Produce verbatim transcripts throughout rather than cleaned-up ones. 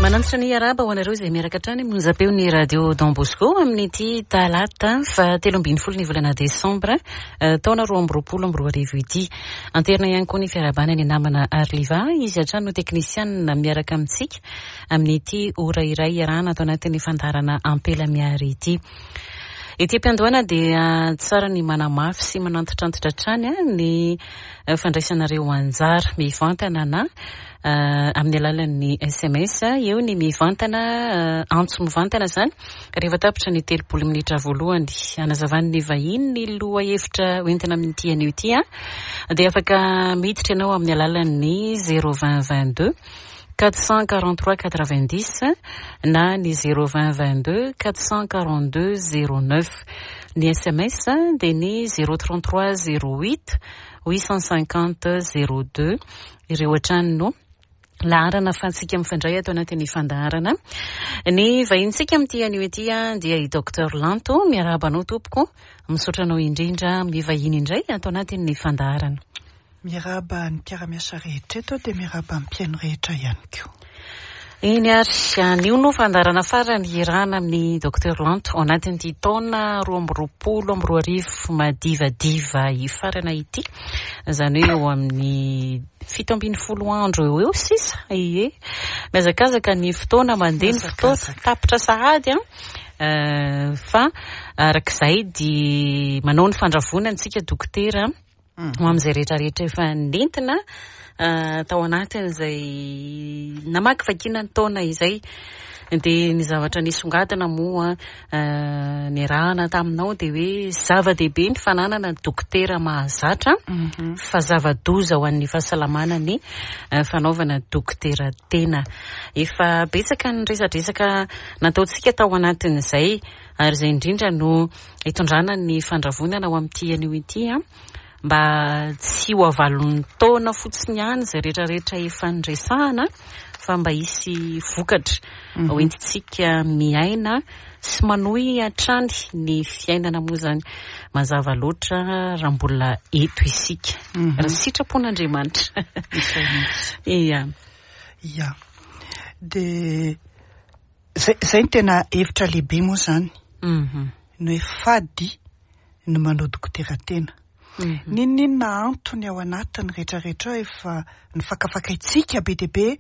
Manantitra ny araba ho anareo izay miaraka hatrany amin'ny onjam-peon'ny Radio Don Bosco amin'ity talata fa telo ambin'ny folo ny volana desambra taona roa amby roapolo amby roa arivo ity. Anterina ihany koa ny fiarahabana ny namana Arliva, izy hatrany no teknisianina miaraka amintsika amin'ity ora iray iarahana ato anatin'ny fandaharana Ampela Miary ity. Ety am-piandohana dia tsara ny manamafy sy manantitrantitra hatrany ny fandraisanareo anjara mivantana na amin'ny alalan'ny S M S. Eo ny mivantana, antso mivantana izany rehefa tapitra ny telopolo minitra voalohany hanazavan'ny vahiny ny lohahevitra hoentina amin'ity anio ity a, dia afaka miditra ianao amin'ny alalan'ny zéro vingt vingt-deux quatre cent quarante-trois quatre-vingt-dix na ny zéro vingt vingt-deux quatre cent quarante-deux zéro neuf. Ny S M S dia ny zéro trente-trois zéro huit huit cent cinquante zéro deux. Ireo hatrany no laharana ahafahantsika mifandray ato anatin'ny fandaharana. Ny vahintsika amin'ity anio ity dia i Docteur Lanto. Miarahaba anao tompoko, misaotra anao indrindra amin'ny vahiny indray ato anatin'ny fandaharana. Miarahaba ny mpiara-miasa rehetra eto dia miarahaba ny mpihaino rehetra ihany koa. Eny ary, anio no fandaharana farany iarahana amin'ny Docteur Lanto ao anatin'ity taona roa amby roapolo amby roa arivo madivadiva hifarana ity. Izany hoe eo amin'ny fito ambin'ny folo andro eo eo sisa. Ie, mihazakazaka ny fotoana, mandeha ny fotoana, tapitra sahady an. Fa arak'izay dia manao ny fandravonana antsika dokotera ho amin'izay rehetrarehetra efa nentina tao anatin'izay namakivakiana ny taona izay. Dia ny zavatra nisongadina moa niarahana taminao dia hoe zava-dehibe ny fananana dokotera mahazatra fa zava-doza ho an'ny fahasalamana ny fanaovana dokotera tena. Efa betsaka ny resadresaka nataontsika tao anatin'izay ary izay indrindra no hitondrana ny fandravonana ho amin'ity anio ity a, mba tsy ho avalon'ny taona fotsiny ihany izay rehetrarehetra efa niresahana fa mba hisy vokatra hoentintsika miaina sy manohy hatrany ny fiainana moa izany. Mazava loatra raha mbola eto isika, raha sitrapon'Andriamanitra. Ia. Ia. Dia zay, zay ny tena hevitra lehibe moa izany. Ny hoe fady ny manao dokotera tena. N'inon'inona antony ao anatiny rehetrarehetra ao efa nifakafakaintsika be dia be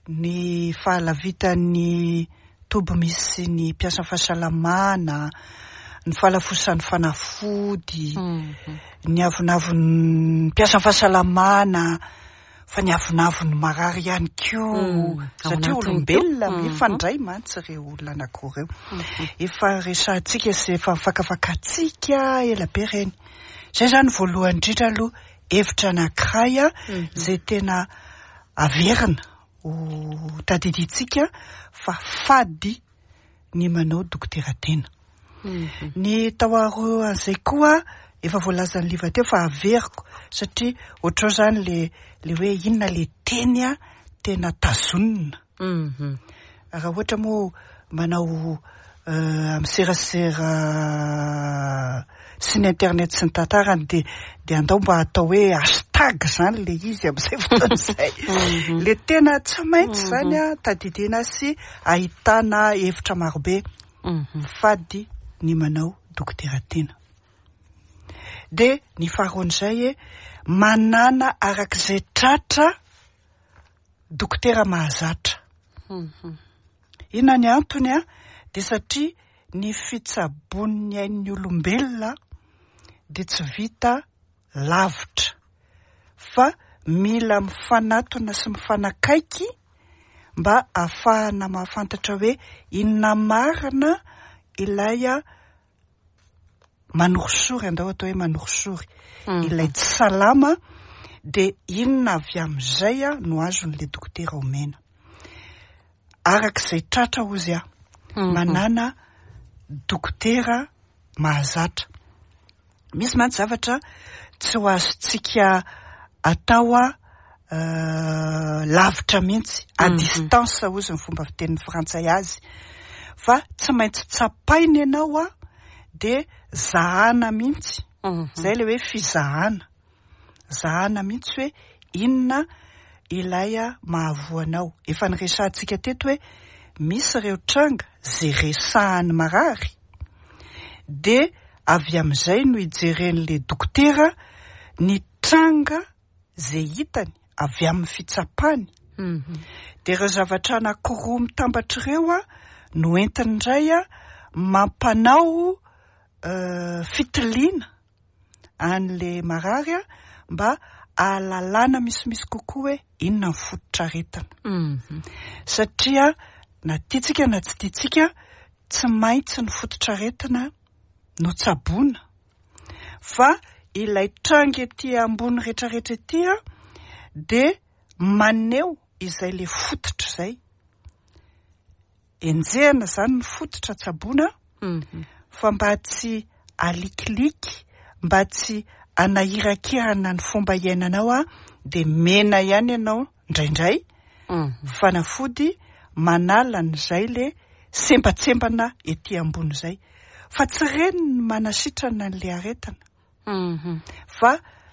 ny fahalavitan'ny toby misy ny mpiasa fahasalamana, ny fahalafosan'ny fanafody, ny avonavon'ny mpiasa fahasalamana, fa ny avonavon'ny marary ihany koa, satria olombelona mifandray mantsy ireo olona anankiroa ireo. Efa resahantsika sy efa nifakafakaintsika ela be ireny. Izay izany voalohany indrindra aloha hevitra anankiray a, izay tena averina ho tadidintsika fa fady ny manao dokotera tena. Ny tao aroan'izay koa efa voalazan'ny Liva teo fa averiko satria ohatrao izany le, le hoe inona le teny a tena tazonina. Raha ohatra moa manao amin'ny serasera sy ny internet sy ny tantarany dia, dia andao mba atao hoe hashtag izany le izy amin'izay fotoana izay. Le tena tsy maintsy izany a tadidina sy ahitana hevitra marobe. Fady ny manao dokotera tena. Dia ny faharoan'izay e, manana arak'izay tratra dokotera mahazatra. Inona ny antony a? Dia satria ny fitsaboan'ny ain'ny olombelona dia tsy vita lavitra fa mila mifanatona sy mifanakaiky mba ahafahana mahafantatra hoe inona marina ilay manorisory, andao atao hoe manorisory, ilay tsy salama, dia inona avy amin'izay a no azon'ilay dokotera omena. Arak'izay tratra hozy aho, manana dokotera mahazatra. Misy mantsy zavatra tsy ho azontsika atao a lavitra mihitsy, à distance hozy ny fomba fitenin'ny frantsay azy, fa tsy maintsy tsapaina ianao a dia zahana mihitsy. Izay ilay hoe fizahana. Zahana mihitsy hoe inona ilay mahavoa anao. Efa niresahantsika teto hoe misy ireo tranga izay resahan'ny marary, dia avy amin'izay no hijeren'ilay dokotera ny tranga izay hitany avy amin'ny fitsapany. Dia ireo zavatra anankiroa mitambatra ireo a no entiny indray a mampanao fitiliana an'ilay marary a mba ahalalana misimisy kokoa hoe inona ny fototr'aretina. Satria na tiantsika na tsy tiantsika, tsy maintsy ny fototr'aretina no tsaboina, fa ilay tranga ety ambony rehetrarehetra ety a dia maneho izay le fototra izay. Enjehina izany ny fototra tsaboina, fa mba tsy alikiliky, mba tsy anahirakirana ny fomba iainanao a dia mena ihany ianao indraindray fanafody manala an'izay le sembatsembana ety ambony izay. Fa tsy ireny ny manasitrana an'ilay aretina, fa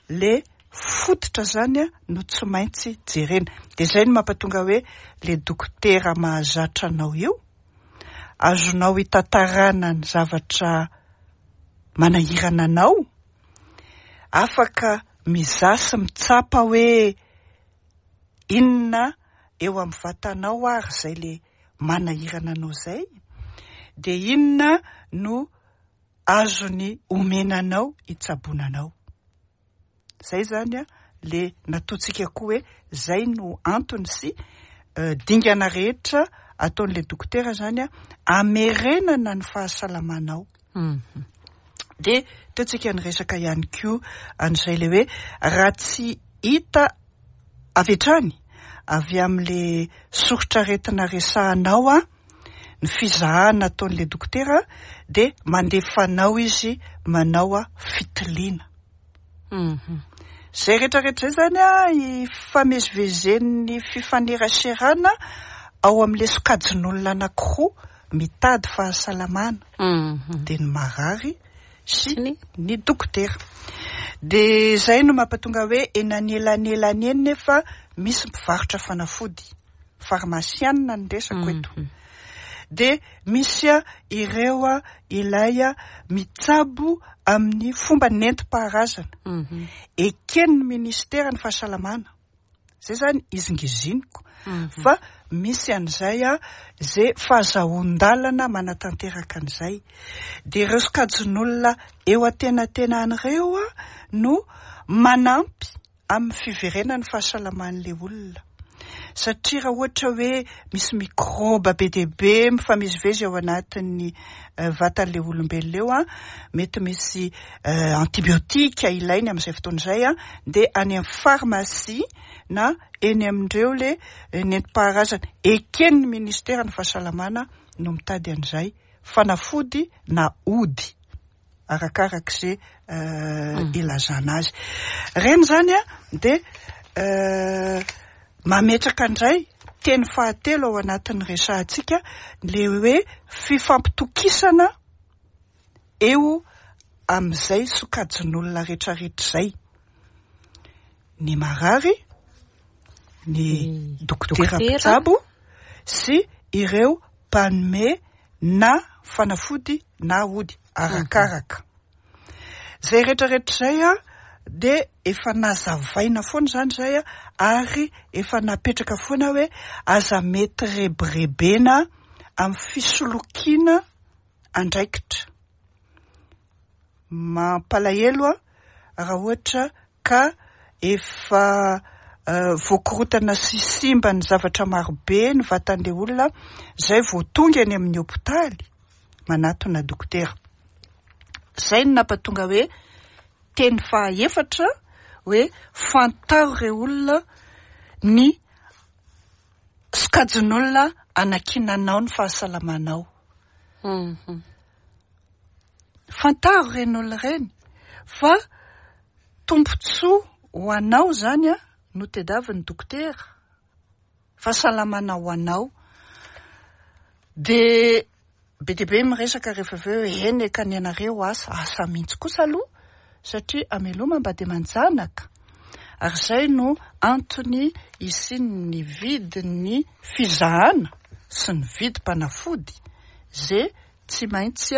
le fototra zany a no tsy maintsy jerena. Dia izay no mampatonga hoe le dokotera mahazatra anao io, azonao hitantarana ny zavatra manahirana anao, afaka mizaha sy mitsapa hoe inona eo amin'ny vatanao ary izay le manahirana anao izay, dia inona no azony omena anao hitsaboana anao. Izay zany a le nataontsika koa hoe izay no antony sy dingana rehetra ataon'ilay dokotera zany a amerenana ny fahasalamanao. Dia teo tsika niresaka ihany koa an'izay le hoe raha tsy hita avy hatrany avy amin'le soritr'aretina resahanao a ny fizahana ataon'ilay dokotera, dia mandefa anao izy manao a fitiliana. Izay rehetrarehetra izay zany a ifamezivezen'ny fifaneraserana ao amin'ilay sokajin'olona anankiroa mitady fahasalamana, dia ny marary sy ny dokotera. Dia izay no mampatonga hoe eny anelanelany eny nefa misy mpivarotra fanafody, farmasianina ny resako eto. Dia misy a ireo a ilay a mitsabo amin'ny fomba nentim-paharazana. Eken'ny ministera ny fahasalamana. Izay zany izingiziniko. Fa misy an'izay a izay fahazahoan-dalana manatanteraka an'izay. Dia ireo sokajin'olona eo antenatenan'ireo a no manampy amin'ny fiverenan'ny fahasalaman'ilay olona. Satria raha ohatra hoe misy mikrôba be dia be mifamezivezy ao anatin'ny vatan'ilay olombelona eo a, mety misy antibiotika ilainy amin'izay fotoana izay a, dia any amin'ny farmasia na eny amin'ireo le nentim-paharazana eken'ny ministera ny fahasalamana no mitady an'izay fanafody na ody arakarak'izay ilazana azy. Ireny zany a dia mametraka indray teny fahatelo ao anatin'ny resahantsika, le hoe fifampitokisana eo amin'izay sokajin'olona rehetrarehetra izay. Ny marary, ny dokotera mpitsabo sy ireo mpanome na fanafody na ody arakaraka. Izay rehetrarehetra izay a dia efa nazavaina foana izany izay a, ary efa napetraka foana hoe aza mety rebirebena amin'ny fisolokiana andraikitra. Mampalahelo a raha ohatra ka efa voakorotana sy simba ny zavatra marobe ny vatan'ilay olona izay vao tonga eny amin'ny hôpitaly manatona dokotera. Izay no nampatonga hoe teny fahaefatra hoe fantaro ireo olona ny sokajin'olona anankinanao ny fahasalamanao. Fantaro ireny olona ireny fa tombontsoa ho anao zany a no tadiavin'ny dokotera, fahasalamana ho anao. Dia be dia be miresaka rehefa avy eo hoe eny ka ny anareo asa, asa mihitsy kosa aloha, satria ameloma mba dia manjanaka. Ary izay no antony isian'ny vidin'ny fizahana sy ny vidim-panafody izay tsy maintsy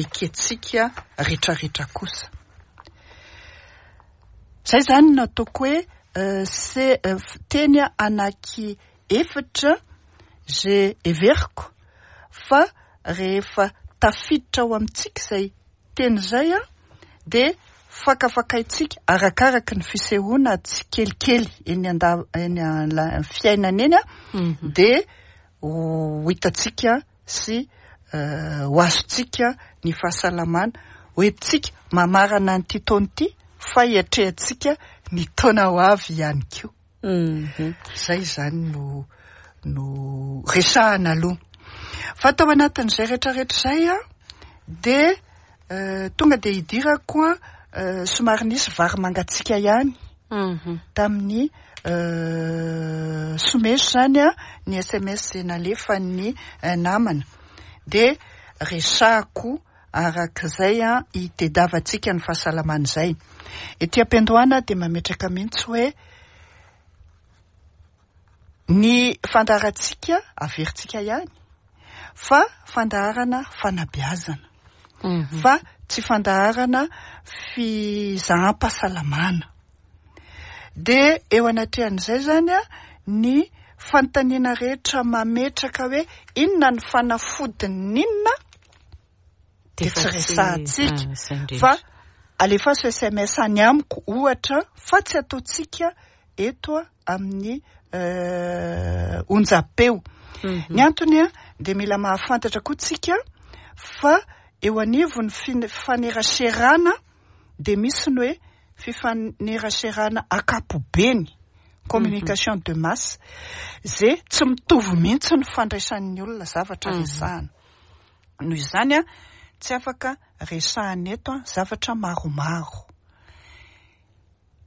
ekentsika rehetrarehetra kosa. Izay izany no ataoko hoe se teny anaky efatra izay heveriko fa rehefa tafiditra ao amintsika izay teny izay dia fakafakaintsika arakaraky ny fisehoana tsikelikely eny anda- eny an- fiainana eny dia ho hitantsika sy ho azontsika ny fahasalamana hoentintsika mamarana an'ity taona ity fa hiatrehantsika ny taona ho avy ihany koa. Izay izany no no resahana aloha. Fa tao anatin'izay rehetrarehetra izay a dia tonga dia hidirako a somary nisy vary mangatsiaka ihany tamin'ny someso izany a ny S M S nalefan'ny namana. Dia resahako arak'izay a hitediavantsika ny fahasalamana izay. Ety am-piandohana dia mametraka mihitsy hoe ny fandaharantsika averintsika ihany fa fandaharana fanabeazana, fa tsy fandaharana fizaham-pahasalamana. Dia eo anatrehan'izay zany a ny fanontaniana rehetra mametraka hoe inona ny fanafodin'inona dia tsy resahantsika fa alefaso S M S any amiko ohatra fa tsy ataontsika eto amin'ny onjam-peo. Ny antony a dia mila mahafantatra koa tsika fa eo anivon'ny fifaneraserana dia misy ny hoe fifaneraserana ankapobeny, communication de masse, izay tsy mitovy mihitsy ny fandraisan'ny olona zavatra resahana. Noho izany a tsy afaka resahana eto a zavatra maromaro.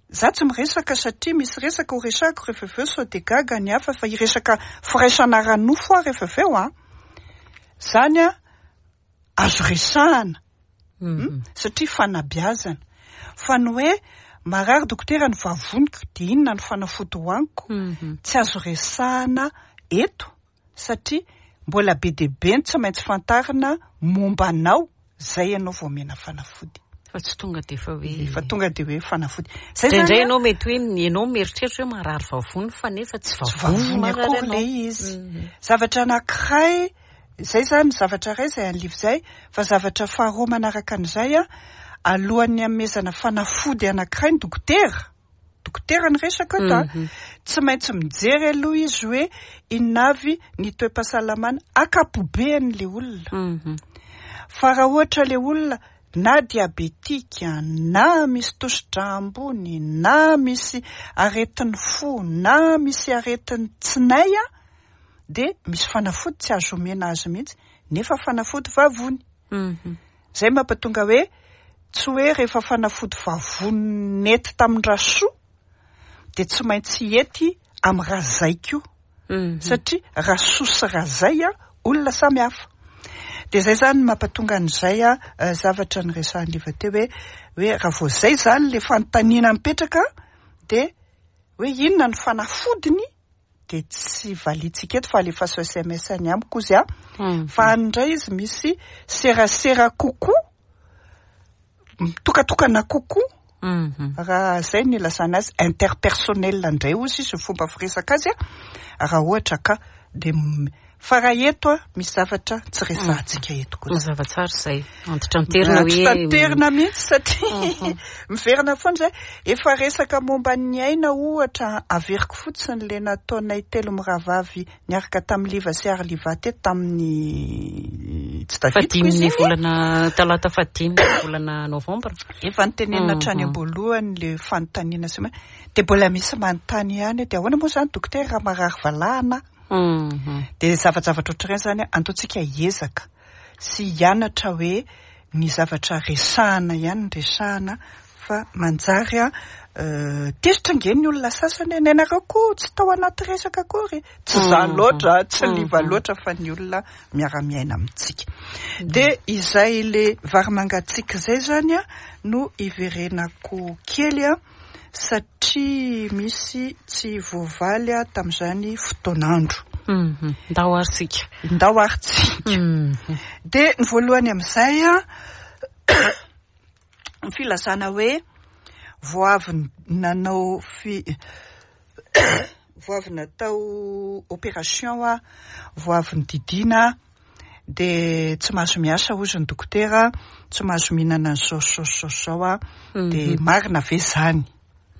Za tsy miresaka satria misy resaka ho resahako rehefa avy eo sao dia gaga ny hafa fa hiresaka firaisana ara-nofo aho rehefa avy eo a. Zany a azo resahana, satria fanabeazana. Fa ny hoe marary dokotera ny vavoniko dia inona ny fanafody hohaniko, tsy azo resahana eto satria mbola be dia be ny tsy maintsy fantarina momba anao izay ianao vao omena fanafody. Fa tsy tonga dia efa hoe Efa tonga dia hoe fanafody. Zay Indraindray zany a ianao mety hoe ianao mieritreritra hoe marary vavony fa nefa tsy Tsy vavony vavony marary akory anao. ilay izy. Zavatra anankiray, izay zany zavatra iray izay an'liva izay, fa zavatra faharoa manaraka an'izay a, alohan'ny hanomezana fanafody anankiray ny dokotera, dokotera ny resaka eto a, tsy maintsy mijery aloha izy hoe inona avy ny toe-pahasalamana ankapobean'ilay olona. Fa raha ohatra ilay olona na diabetika, na misy tosidra ambony, na misy aretin'ny fo, na misy aretin'ny tsinay a, dia misy fanafody tsy azo omena azy mihitsy, nefa fanafody vavony. Izay mampatonga hoe tsy hoe rehefa fanafody vavony nety tamin'ny Rasoa dia tsy maintsy hety amin'ny Razay koa. Satria Rasoa sy Razay a olona samy hafa. Dia izay zany mampatonga an'izay a zavatra niresahan'i Liva teo hoe, hoe raha vao izay zany ilay fanontaniana mipetraka dia hoe inona ny fanafodiny dia tsy valiantsika eto fa alefaso S M S any amiko izy a. Fa any indray izy misy serasera kokoa, mitokatokana kokoa. Raha izay no ilazana azy interpersonnel indray ozy izy ny fomba firesaka azy a, raha ohatra ka dia m-, fa raha eto a misy zavatra tsy resahantsika eto kosa. Mazava tsara izay. Antitranterina hoe Antitranterina mihitsy satria miverina foana izay. Efa resaka momba ny aina ohatra averiko fotsiny ilay nataonay telo mirahavavy niaraka tamin'ny Liva sy Arliva teto tamin'ny tsy tadidiko Fahadimy izy iny. volana talata fahadimy volana novambra. Efa nitenenina hatrany am-boalohany ilay fanontaniana sy ma-, dia mbola misy manontany ihany hoe dia ahoana moa izany dokotera raha marary valahana? Dia zavajavatra ohatr'ireny izany antaontsika hiezaka sy hianatra hoe ny zavatra resahana ihany ny resahana fa manjary a, tezitra ange ny olona sasany hoe nenareo koa tsy tao anaty resaka akory, tsy za loatra, tsy Liva loatra fa ny olona miara-miaina amintsika. Dia izay le vary mangatsiaka izay zany a no iverenako kely a satria misy tsy voavaly a tamin'izany fotoan'andro. Ndao ary tsika. Ndao ary tsika. Dia ny voalohany amin'izay a, ny filazana hoe vao avy nanao fi vao avy natao opération a, vao avy nodidiana, dia tsy mahazo miasa hozy ny dokotera, tsy mahazo mihinana an'izao zao zao zao a, dia marina ve zany?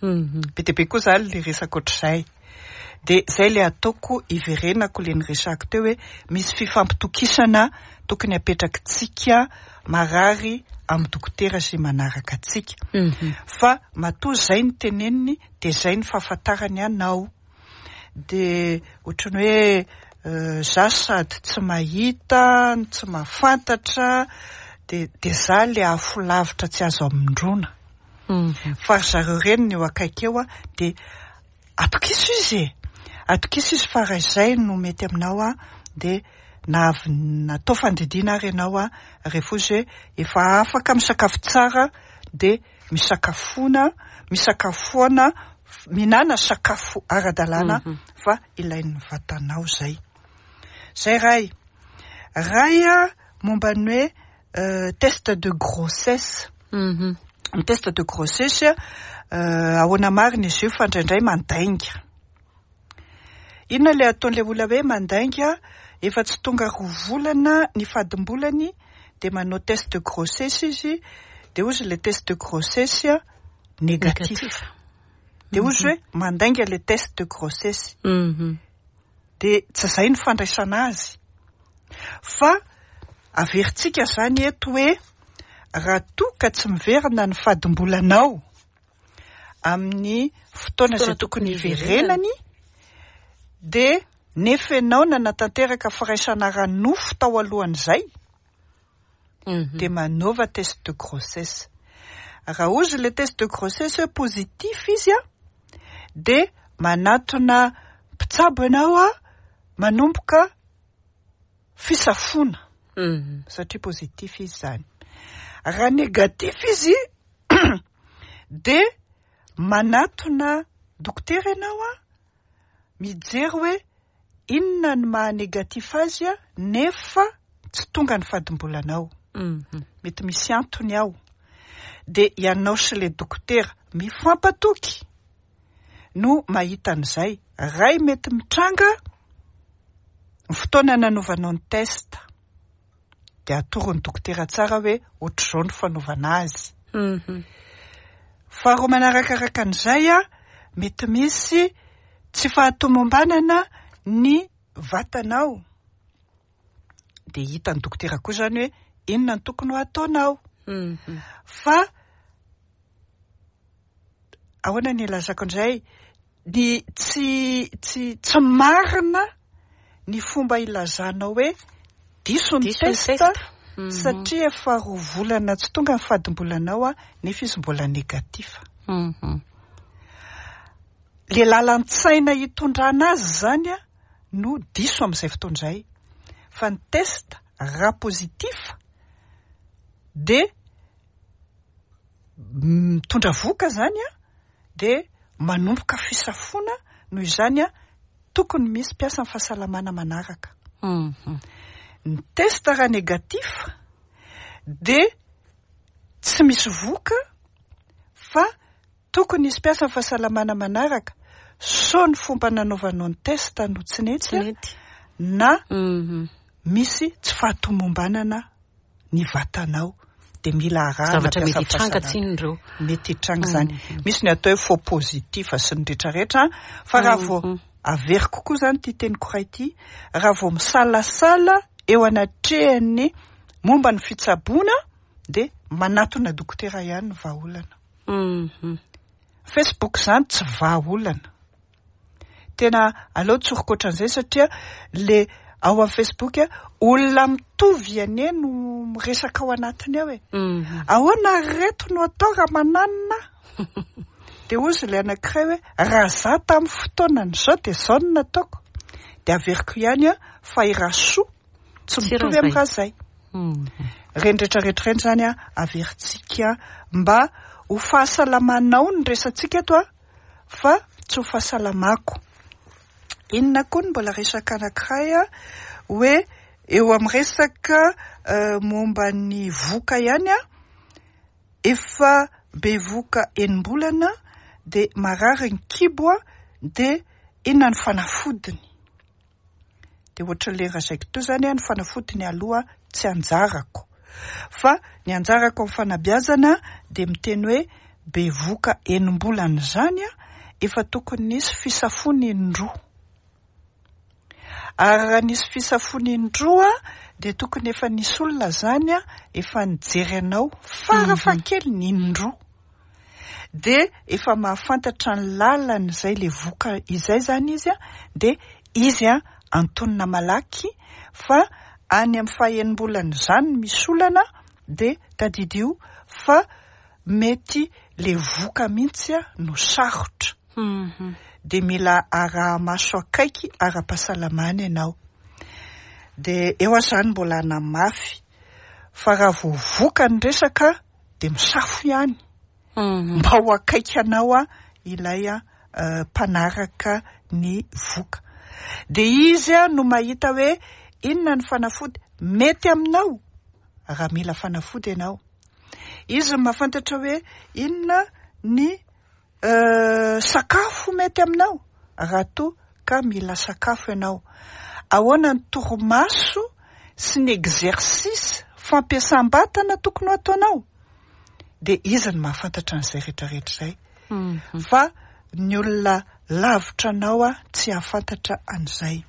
Be dia be koa zany le resaka ohatr'izay. Dia zay le ataoko iverenako le niresako teo hoe misy fifampitokisana tokony apetrakitsika marary amin'ny dokotera izay manaraka antsika. Fa matoa zay ny teneniny dia zay ny fahafantarany anao. Dia ohatran'ny hoe za sady tsy mahita, tsy mahafantatra, dia dia za le afo lavitra tsy azo amindrona. Fa ry zareo reny ny eo akaiky eo a, dia atokiso izy e. Atokiso izy fa raha izay no mety aminao a, dia na avy natao fandidiana ary ianao a, rehefa izy hoe efa afaka misakafo tsara, dia misakafoana, misakafoana, mihinana sakafo ara-dalàna fa ilain'ny vatanao zay. Zay ray. Ray a, momba ny hoe test de grossesse. Ny test de grossesse ahoana marina izy io fa indraindray mandainga. Inona le ataon'ilay olona hoe mandainga? Efa tsy tonga roa volana ny fadimbolany dia manao test de grossesse izy, dia hozy le test de grossesse négatif. Dia hozy hoe mandainga le test de grossesse. Dia tsy izay ny fandraisana azy. Fa averintsika zany eto hoe raha toa ka tsy miverina ny fadimbolanao amin'ny fotoana izay tokony hiverenany, dia nefa ianao nanatanteraka firaisana ara-nofo tao alohan'izay, dia manaova test de grossesse. Raha hozy le test de grossesse hoe positif izy a, dia manatona mpitsabo ianao a, manomboka fisafoana satria positif izy zany. Raha négatif izy dia manatona dokotera ianao a, mijery hoe inona ny maha négatif azy a, nefa tsy tonga ny fadimbolanao. Mety misy antony ao. Dia ianao sy le dokotera mifampatoky no mahita an'izay. Ray mety mitranga ny fotoana nanaovanao ny test, dia atoron'ny dokotera tsara hoe ohatr'izao ny fanaovana azy. Faharoa manarakaraka an'izay a, mety misy tsy fahatomombanana ny vatanao. Dia hitan'ny dokotera koa zany hoe inona ny tokony ho ataonao. Fa ahoana ny ilazako indray, ny tsy tsy tsy marina ny fomba ilazanao hoe diso ny test satria efa roa volana tsy tonga ny fadimbolanao a, nefa izy mbola négatif. Le lalan-tsaina hitondrana azy zany a no diso amin'izay fotoana izay. Fa ny test raha positif dia mitondra voka zany a, dia manomboka fisafoana. Noho izany a, tokony misy mpiasa ny fahasalamana manaraka. Ny test raha négatif dia tsy misy voka fa tokony hisy mpiasa ny fahasalamana manaraka, sao ny fomba nanaovanao ny test no tsy nety na misy tsy fahatomombanana ny vatanao, dia mila arahana zavatra mety hitranga tsinona ireo. Mety hitranga zany. Misy ny atao hoe faux positif sy ny rehetrarehetra, fa raha vao averiko koa zany ty teniko ray ity, raha vao misalasala eo anatrehan'ny momba ny fitsaboana dia manatona dokotera ihany ny vahaolana. Facebook zany tsy vahaolana. Tena aleo tsoriko ohatran'izay satria le ao amin'ny Facebook olona mitovy anie no miresaka ao anatiny ao e. Ahoana reto no atao raha mananina? Dia hozy ilay anankiray hoe raha za tamin'ny fotoanan'izao dia izao no nataoko. Dia averiko ihany a fa i Rasoa tsy mitovy amin'ny raha zay. Ireny rehetrarehetra ireny zany a averintsika mba Ho fahasalamanao ny resantsika eto a, fa tsy ho fahasalamako. Inona koa ny mbola resaka anankiray a, hoe eo amin'ny resaka momba ny voka ihany a, efa bevoka enim-bolana dia marary ny kibo a, dia inona ny fanafodiny? Dia ohatran'ilay lazaiko teo zany a, ny fanafodiny aloha tsy anjarako, fa ny anjarako amin'ny fanabeazana dia miteny hoe bevoka enim-bolana zany a, efa tokony nisy fisafoana indroa. Ary raha nisy fisafoana indroa dia tokony efa nisy olona zany a, efa nijery anao farafahakeliny indroa. Dia efa mahafantatra ny lalana izay le voka izay zany izy a, dia izy a antonona malaky, fa any amin'ny fahenim-bolana zany misy olana dia tadidio fa mety le voka mihitsy a no sarotra. Dia mila araha-maso akaiky ara-pahasalamana ianao. Dia eo aho zany mbola hanamafy fa raha vao voka ny resaka dia misafo ihany. Mba ho akaiky anao a ilay a mpanaraka ny voka. Dia izy a no mahita hoe inona ny fanafody mety aminao raha mila fanafody ianao. Izy no mahafantatra hoe inona ny sakafo mety aminao raha toa ka mila sakafo ianao. Ahoana ny torimaso sy ny exercice fampiasam-batana tokony ho ataonao. Dia izy no mahafantatra an'izay rehetrarehetra izay. Fa ny olona lavitra anao a tsy hahafantatra an'izay.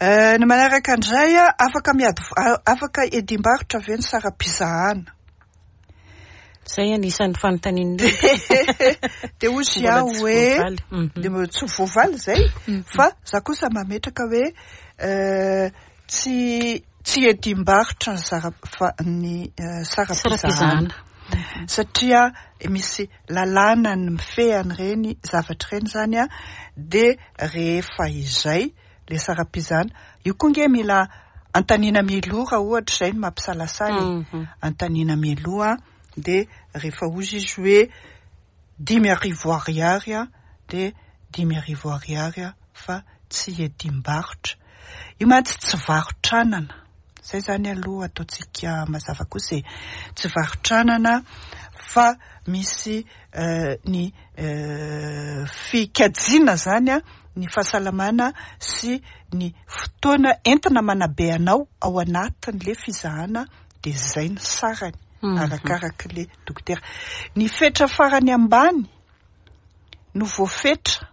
Ny manaraka indray a, afaka miady, afaka edim-barotra ve ny saram-pizahana? Zay anisan'ny fanontanian'ny Dia hozy aho hoe dia mbola tsy voavaly zay, fa za kosa mametraka hoe tsy tsy edim-barotra ny zara ny saram-pizahana, satria misy lalàna ny mifehy an'ireny zavatra ireny zany a, dia rehefa izay le saram-pizahana io koa nge mila antanina mialoha raha ohatra izay no mampisalasala e. Antanina mialoha dia rehefa hozy izy hoe dimy arivo ariary a, dia dimy arivo ariary a, fa tsy edim-barotra. Io mantsy tsy varotranana. Zay zany aloha ataontsika mazava kosa e. Tsy varotranana fa misy ny fikajiana zany a, ny fahasalamana sy ny fotoana entina manabe anao ao anatin'le fizahana, dia zay ny sarany arakaraka le dokotera. Ny fetra farany ambany no voafetra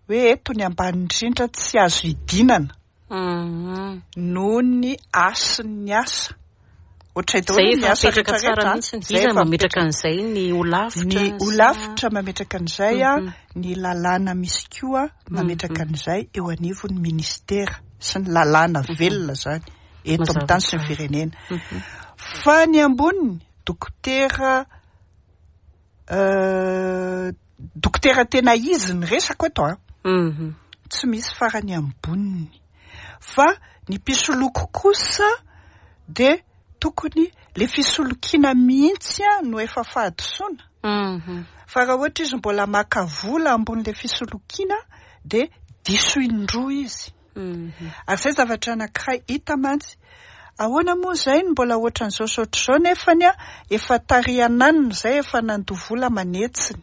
hoe eto ny ambany indrindra tsy azo idinana noho ny hasin'ny asa. Ohatray daholo ny asa Zay efa mipetraka tsara rehetrarehetra. mihitsy. Zay Iza efa mametraka an'izay? Ny holafitra? Ny holafitra mametraka an'izay a, ny lalàna misy koa mametraka an'izay eo anivon'ny ministera sy ny lalàna velona zany eto amin'ny tany sy ny firenena. Fa ny amboniny dokotera dokotera tena izy ny resako eto a, tsy misy farany amboniny. Fa ny mpisoloko kosa dia tokony le fisolokiana mihitsy a no efa fahadisoana. Fa raha ohatra izy mbola maka vola ambon'le fisolokiana dia diso indroa izy. Ary izay zavatra anankiray hita mantsy. Ahoana moa izay no mbola ohatran'izao sy ohatr'izao nefany a efa tarihananina izay efa nandoa vola manetsiny.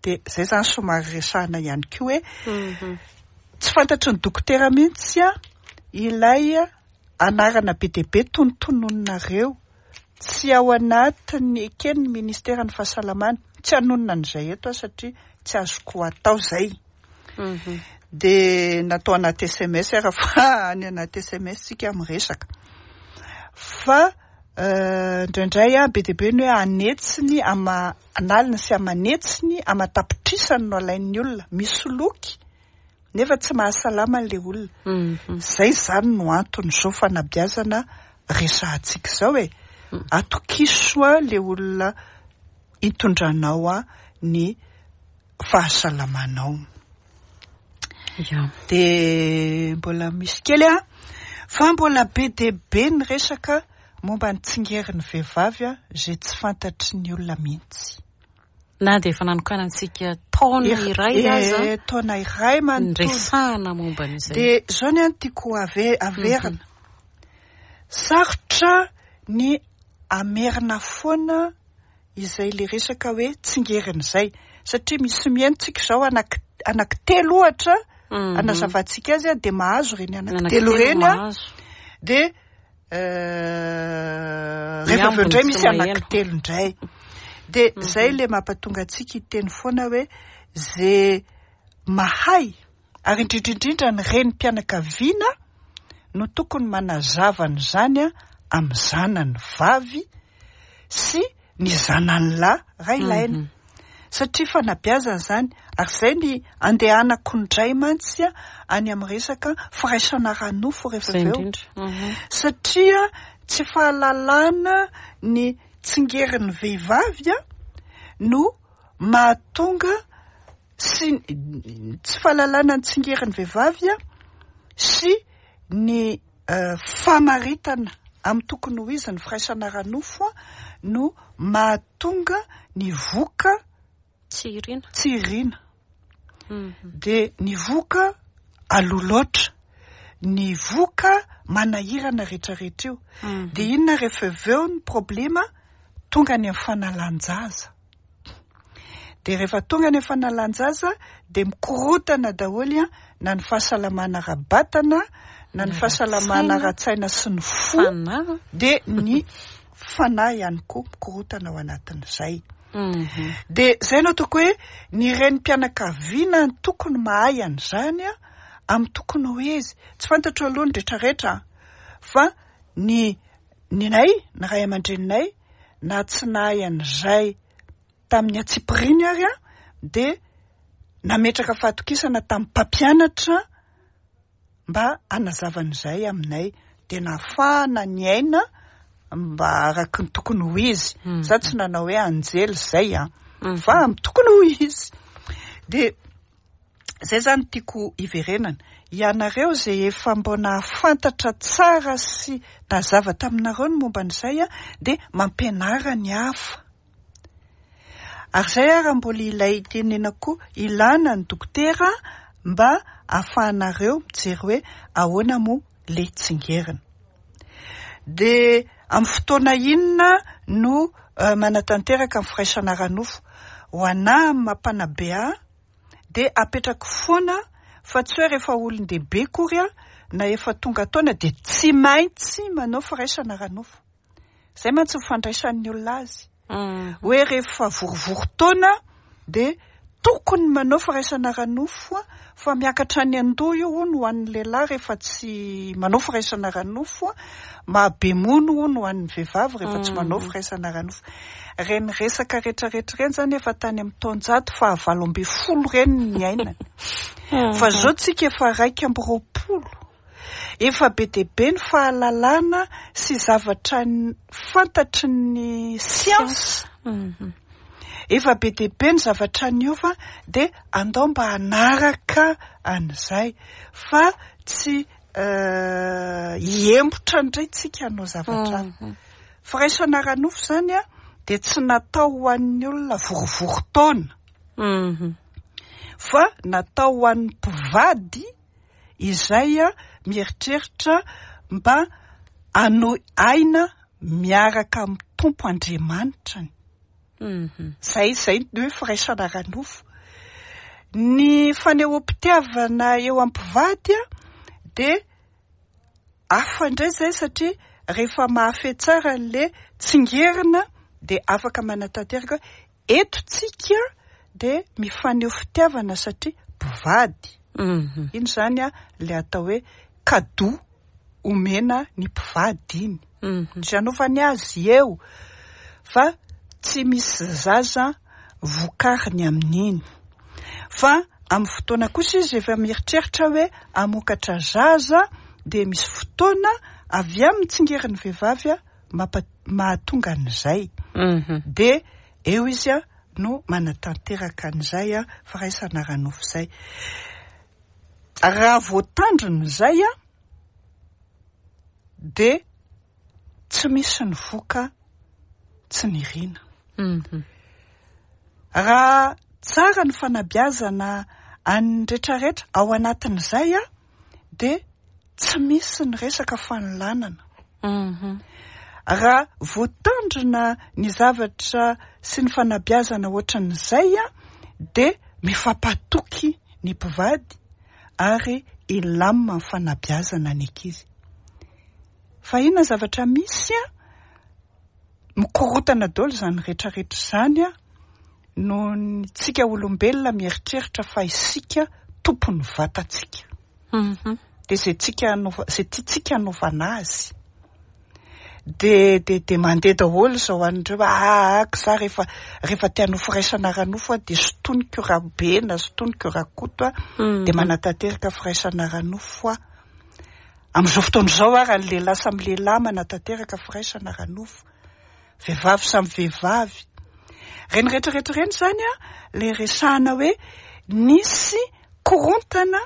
Dia izay zany somary resahana ihany koa hoe tsy fantatry ny dokotera mihitsy a ilay anarana be dia be tonontononareo. Tsy ao anatin'ny eken'ny ministeran'ny fahasalamana. Tsy hanonona an'izay eto aho satria tsy azoko atao izay. Dia natao anaty S M S raha fa any anaty S M S tsika miresaka. Fa indraindray a be dia be ny hoe anetsiny ama analina sy amanetsiny amatapitrisany no alain'ny olona misoloky nefa tsy mahasalama an'ilay olona. Izay zany no anton'izao fanabeazana resahantsika izao e. Atokiso a le olona hitondranao a ny fahasalamanao. Ya. Dia mbola misy kely a, fa mbola be dia be ny resaka momba ny tsingerin'ny vehivavy a, izay tsy fantatry ny olona mihitsy. Na dia efa nanokanantsika taona iray aza. Eh, taona iray manontolo. Niresahana momba an'izay. Dia izao ny any tiako ave- averina. Sarotra ny amerina foana izay le resaka hoe tsingerin'izay, satria misy mihaino-tsika izao anaky, anaky telo ohatra, Mhm. anazavantsika azy a, dia mahazo ireny anaky Anaky telo telo ireny a. mahazo. Dia, eh, rehefa avy eo indray Miambina misy tsy maheno. anaky telo indray. Dia zay le mampatonga antsika hiteny foana hoe ze mahay, ary indrindra indrindra ny renim-pianakaviana no tokony manazava an'izany a amin'ny zanany vavy sy ny zanany lahy raha ilaina. Mhm. Satria fanabeazana izany, ary izay ny andehanako indray mantsy a any amin'ny resaka firaisana ara-nofo rehefa Izay avy eo. indrindra. Mhm. Satria tsy fahalalana ny tsingerin'ny vehivavy a no mahatonga sy tsy fahalalana ny tsingerin'ny vehivavy a sy ny, eh, famaritana amin'ny tokony ho izy ny firaisana ara-nofo a no mahatonga ny voka Tsy irina. tsy irina. Mhm. Dia ny voka aloha loatra, ny voka manahirana rehetrarehetra io. Mhm. Dia inona rehefa avy eo ny problema? Tonga any amin'ny fanalan-jaza. Dia rehefa tonga any amin'ny fanalan-jaza dia mikorotana daholo a, na ny fahasalamana ara-batana, na ny Na fahasalamana ara-tsaina. ara-tsaina sy ny fo, Fanahy. dia ny fanahy ihany koa mikorotana ao anatin'izay. Mhm. Dia zay no ataoko hoe ny renim-pianakaviana no tokony mahay an'izany a, amin'ny tokony ho izy. Tsy fantatro aloha ny rehetrarehetra, fa ny, ny nay, ny ray aman-dreninay, na tsy nahay an'izay tamin'ny antsipiriany ary a, dia nametraka fahatokisana tamin'ny mpampianatra mba hanazava an'izay aminay. Dia nahafahana niaina mba araky ny tokony ho izy. Mhm. Za tsy nanao hoe anjely zay a, Mhm. fa amin'ny tokony ho izy. Dia zay zany tiako hiverenana. Ianareo zay efa mbo nahafantatra tsara sy nazava taminareo ny momba an'izay a, dia mampianara ny hafa. Ary zay ary mbola ilay tenena koa ilana ny dokotera mba ahafahanareo mijery hoe ahoana moa le tsingerina. Dia amin'ny fotoana inona no, eh, manatanteraka ny firaisana ara-nofo? Ho anahy amin'ny mampanabe ahy dia apetrako foana fa tsy hoe rehefa olon-dehibe akory aho na efa tonga taona dia tsy maintsy manao firaisana ara-nofo. Izay mantsy ny fandraisan'ny olona azy. Mm. Hoe rehefa vorivory taona dia tokony manao firaisana ara-nofo a, fa miakatra any an-doha io hono ho an'ny lehilahy rehefa tsy manao firaisana ara-nofo a, mahabe mono hono ho an'ny vehivavy rehefa tsy manao Mm. firaisana ara-nofo. Ireny resaka rehetrarehetra ireny zany efa tany amin'ny taonjato fahavalo ambin'ny folo ireny ny niainana. Fa zao tsika efa raika amby roapolo. Efa be dia be ny fahalalana sy zavatra n-, fantatry ny siansa. Mhm. Efa be dia be ny zavatra niova, dia andao mba hanaraka an'izay fa tsy, eh, hiembotra indray tsika hanao zavatra hafa. Mhm. Firaisana ara-nofo zany a, dia tsy natao ho an'ny olona vorivory taona. Mhm. Fa natao ho an'ny mpivady izay a mieritreritra mba hanohy aina miaraka amin'ny Tompo Andriamanitrany. Mhm. Zay, zay ny hoe firaisana ara-nofo. Ny fanehoam-pitiavana eo am-pivady a, dia hafa indray zay satria rehefa mahafehy tsara an'le tsingerina dia afaka manatanteraka hoe eto tsika dia mifaneho fitiavana satria mpivady. Mhm. Iny zany a le atao hoe cadeau omena ny mpivady iny. Mhm. Tsy anaovany azy eo fa tsy misy zaza vokariny amin'iny. Fa amin'ny fotoana kosa izy efa mieritreritra hoe hamokatra zaza dia misy fotoana avy amin'ny tsingerin'ny vehivavy a mampa-, mahatonga an'izay. Mhm. Dia eo izy a no manatanteraka an'izay a firaisana ara-nofo izay. Raha voatandrina izay a dia Tsy misy ny voka tsy nirina. Mhm. Raha tsara ny fanabeazana an'ny rehetrarehetra ao anatin'izay a, dia tsy misy ny resaka fanolanana. Mhm. Raha voatandrina ny zavatra sy ny fanabeazana ohatran'izay a, dia mifampatoky ny mpivady ary ilamina ny fanabeazana ny ankizy. Fa inona zavatra misy a, mikorotana daholo izany rehetrarehetra izany a, noho ny tsika olombelona mieritreritra fa isika tompon'ny vatantsika. Mhm. Dia izay tsika anaova, izay tiantsika anaovana azy. De, de, de mandeha daholo izao an'ireo, ah, ah, za rehefa, rehefa te hanao firaisana ara-nofo aho, dia sintoniko Rabe na sintoniko Rakoto aho, Mhm. dia manatanteraka firaisana ara-nofo aho. Amin'izao fotoana izao ary ny lehilahy samy lehilahy manatanteraka firaisana ara-nofo, vehivavy samy vehivavy. Ireny rehetrarehetra ireny izany a, le resahana hoe nisy korontana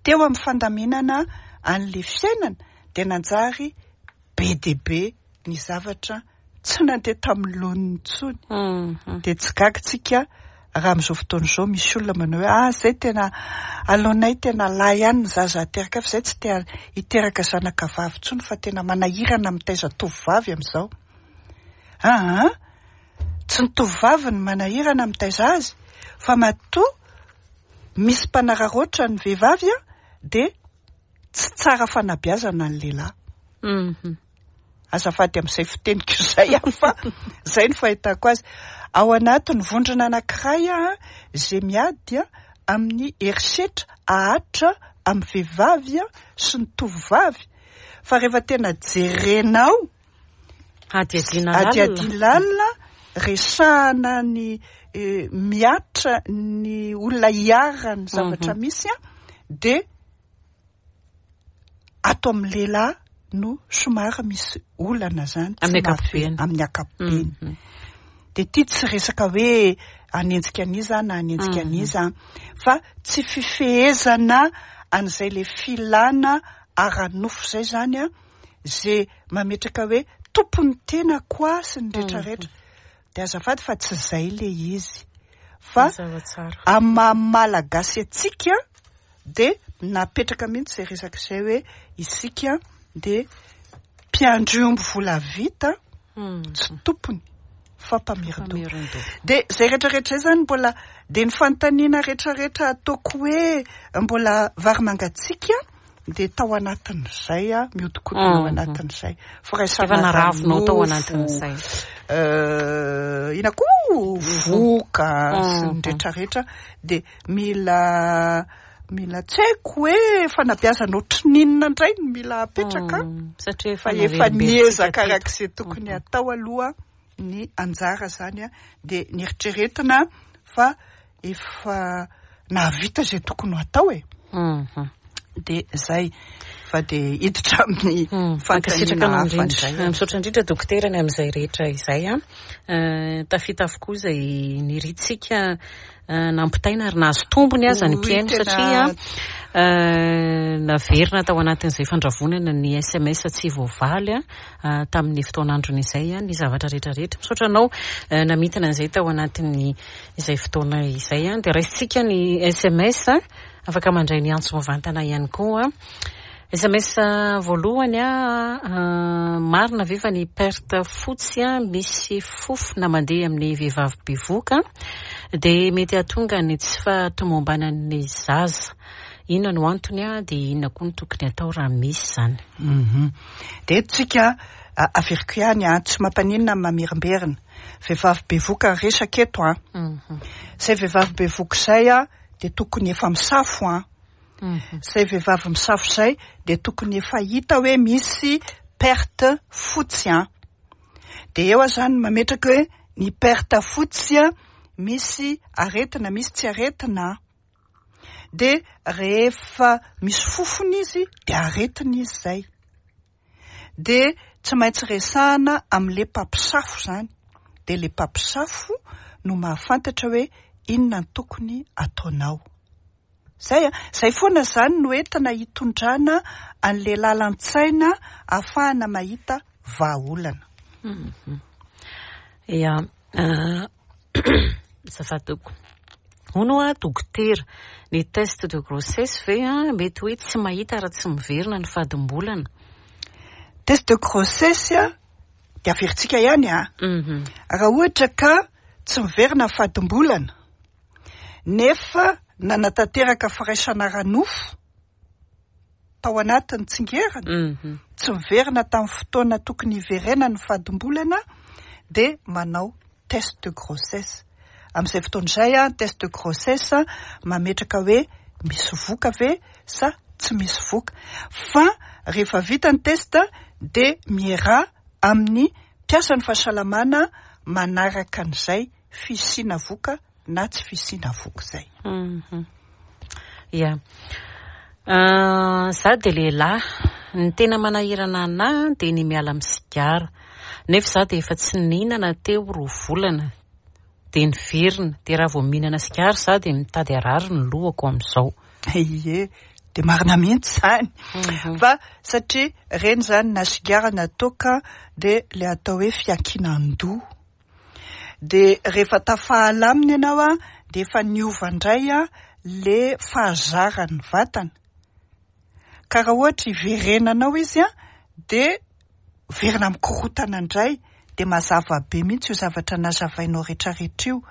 teo amin'ny fandaminana an'le fiainana, dia nanjary be dia be ny zavatra tsy nandeha tamin'ny laoniny intsony. Mhm. Dia tsy gaga tsika raha amin'izao fotoana izao misy olona manao hoe, ah, zay tena aleonay tena lahy ihany ny zaza ateraka, fa zay tsy te hiteraka zanaka vavy intsony fa tena manahirana mitaiza tovovavy amin'izao. Ah, ah, tsy ny tovovavy no manahirana mitaiza azy, fa matoa misy mpanararaotra ny vehivavy a, dia tsy tsara fanabeazana ny lehilahy. Mhm. Azafady amin'izay fiteniko izay aho, fa izay no fahitako azy. Ao anatin'ny vondrona anankiray a, izay miady a, amin'ny herisetra ahatra amin'ny vehivavy a, sy ny tovovavy. Fa rehefa tena jerenao, Hadihadiana lalina. hadihadiana lalina, resahana ny, eh, miatra ny olona iharan'ny zavatra Mhm. misy a, dia ato amin'ny lehilahy no somary misy olana zany, tsy Amin'ny mahafe- ankapobeny. amin'ny ankapobeny. Mhm. Dia ity tsy resaka hoe hanenjika an'iza na hanenjika Mhm. an'iza, fa tsy fifehezana an'izay le filana ara-nofo izay zany a, izay mametraka hoe tompon'ny tena koa sy ny rehetrarehetra. Dia azafady fa tsy izay le izy. Fa Mazava tsara. amin'ny maha malagasy antsika dia napetraka mihitsy izay resaka izay hoe isika dia mpiandry omby volavita, Mhm. tsy tompony fa mpamerin-doha. Mpamerin-doha. Dia izay rehetrarehetra izay zany mbola dia ny fanontaniana rehetrarehetra ataoko hoe mbola vary mangatsiaka dia tao anatin'izay a, mihodinkodina ao Mhm. anatin'izay. Firaisana Efa naravinao tao ara-nofo, anatin'izay. eh, ina koa voka sy ny Mhm. rehetrarehetra dia mila, mila tsy haiko hoe fanabeazana ohatrin'inona indray no mila apetraka. Mm, satria Fa efa efa naverimberitsika niezaka teto. araka izay tokony atao aloha ny anjara zany a, dia nieritreretina fa efa nahavita izay tokony ho atao e. Mhm. Dia zay fa dia hiditra amin'ny Mm, fanontaniana mankasitraka anao hafa indrindra. indray. Misaotra indrindra dokotera ny amin'izay rehetra izay a. Eh, tafita avokoa izay niritsika, eh, nampitaina ary nahazo tombony aza ny Oy, mpihaino tena satria, eh, naverina tao anatin'izay fandravonana ny S M S tsy voavaly a, eh, tamin'ny fotoan'androny izay a, ny zavatra rehetrarehetra. Misaotra anao, eh, namintina an'izay tao anatin'ny izay fotoana izay a. Dia raisintsika ny S M S a, afaka mandray ny antso mivantana ihany koa. S M S voalohany a, eh, marina ve fa ny perte fotsy a, misy fofona mandeha amin'ny vehivavy bevoka dia mety hahatonga ny tsy fahatomombanan'ny zaza. Inona no antony a, dia inona koa no tokony atao raha misy izany? Mhm. Dia eto tsika, a-, averiko ihany a, tsy mampaninona ny mamerimberina. Vehivavy bevoka resaka eto a. Mhm. Izay vehivavy bevoka izay a, dia tokony efa misafo a. Mhm. Izay vehivavy misafo izay dia tokony efa hita hoe misy perte fotsy a. Dia eo aho zany mametraka hoe ny perte fotsy a, misy aretina, misy tsy aretina. Dia rehefa misy fofona izy dia aretina izy izay. Dia tsy maintsy resahana amin'ilay mpampisafo izany. Dia ilay mpampisafo no mahafantatra hoe inona no tokony ataonao. Zay a, zay foana zany no entina hitondrana an'le lalan-tsaina ahafahana mahita vahaolana. Ia, azafady tompoko. Hono a dokotera, ny test de grossesse ve a mety hoe tsy mahita raha tsy miverina ny fadimbolana? Test de grossesse a de averintsika ihany a. Raha ohatra ka tsy miverina ny fadimbolana nefa nanatanteraka firaisana ara-nofo tao anatin'ny tsingerina, tsy miverina tamin'ny fotoana tokony hiverenany ny fadimbolana, de manao test de grossesse. Amin'izay fotoana izay a, test de grossesse mametraka hoe misy voka ve sa tsy misy voka. Fa rehefa vita ny test de miera amin'ny mpiasan'ny fahasalamana manaraka an'izay fisiana voka na tsy fisiana voka izay. Ia. Za de lehilahy, ny tena manahirana anahy de ny miala amin'ny sigara. Nefa za de efa tsy nihinana teo roa volana, de niverina, de raha vao mihinana sigara za de mitady harary ny lohako amin'izao. Ie, de marina mihitsy zany. Fa satria reny zany na sigara na toaka de le atao hoe fiankinan-doha. De rehefa tafahala aminy ianao a, de efa niova indray a le fahazaran'ny vatana. Ka raha ohatra hiverenanao izy a, de verina mikorotana indray, de mazava be mihitsy io zavatra nazavainao rehetrarehetra io.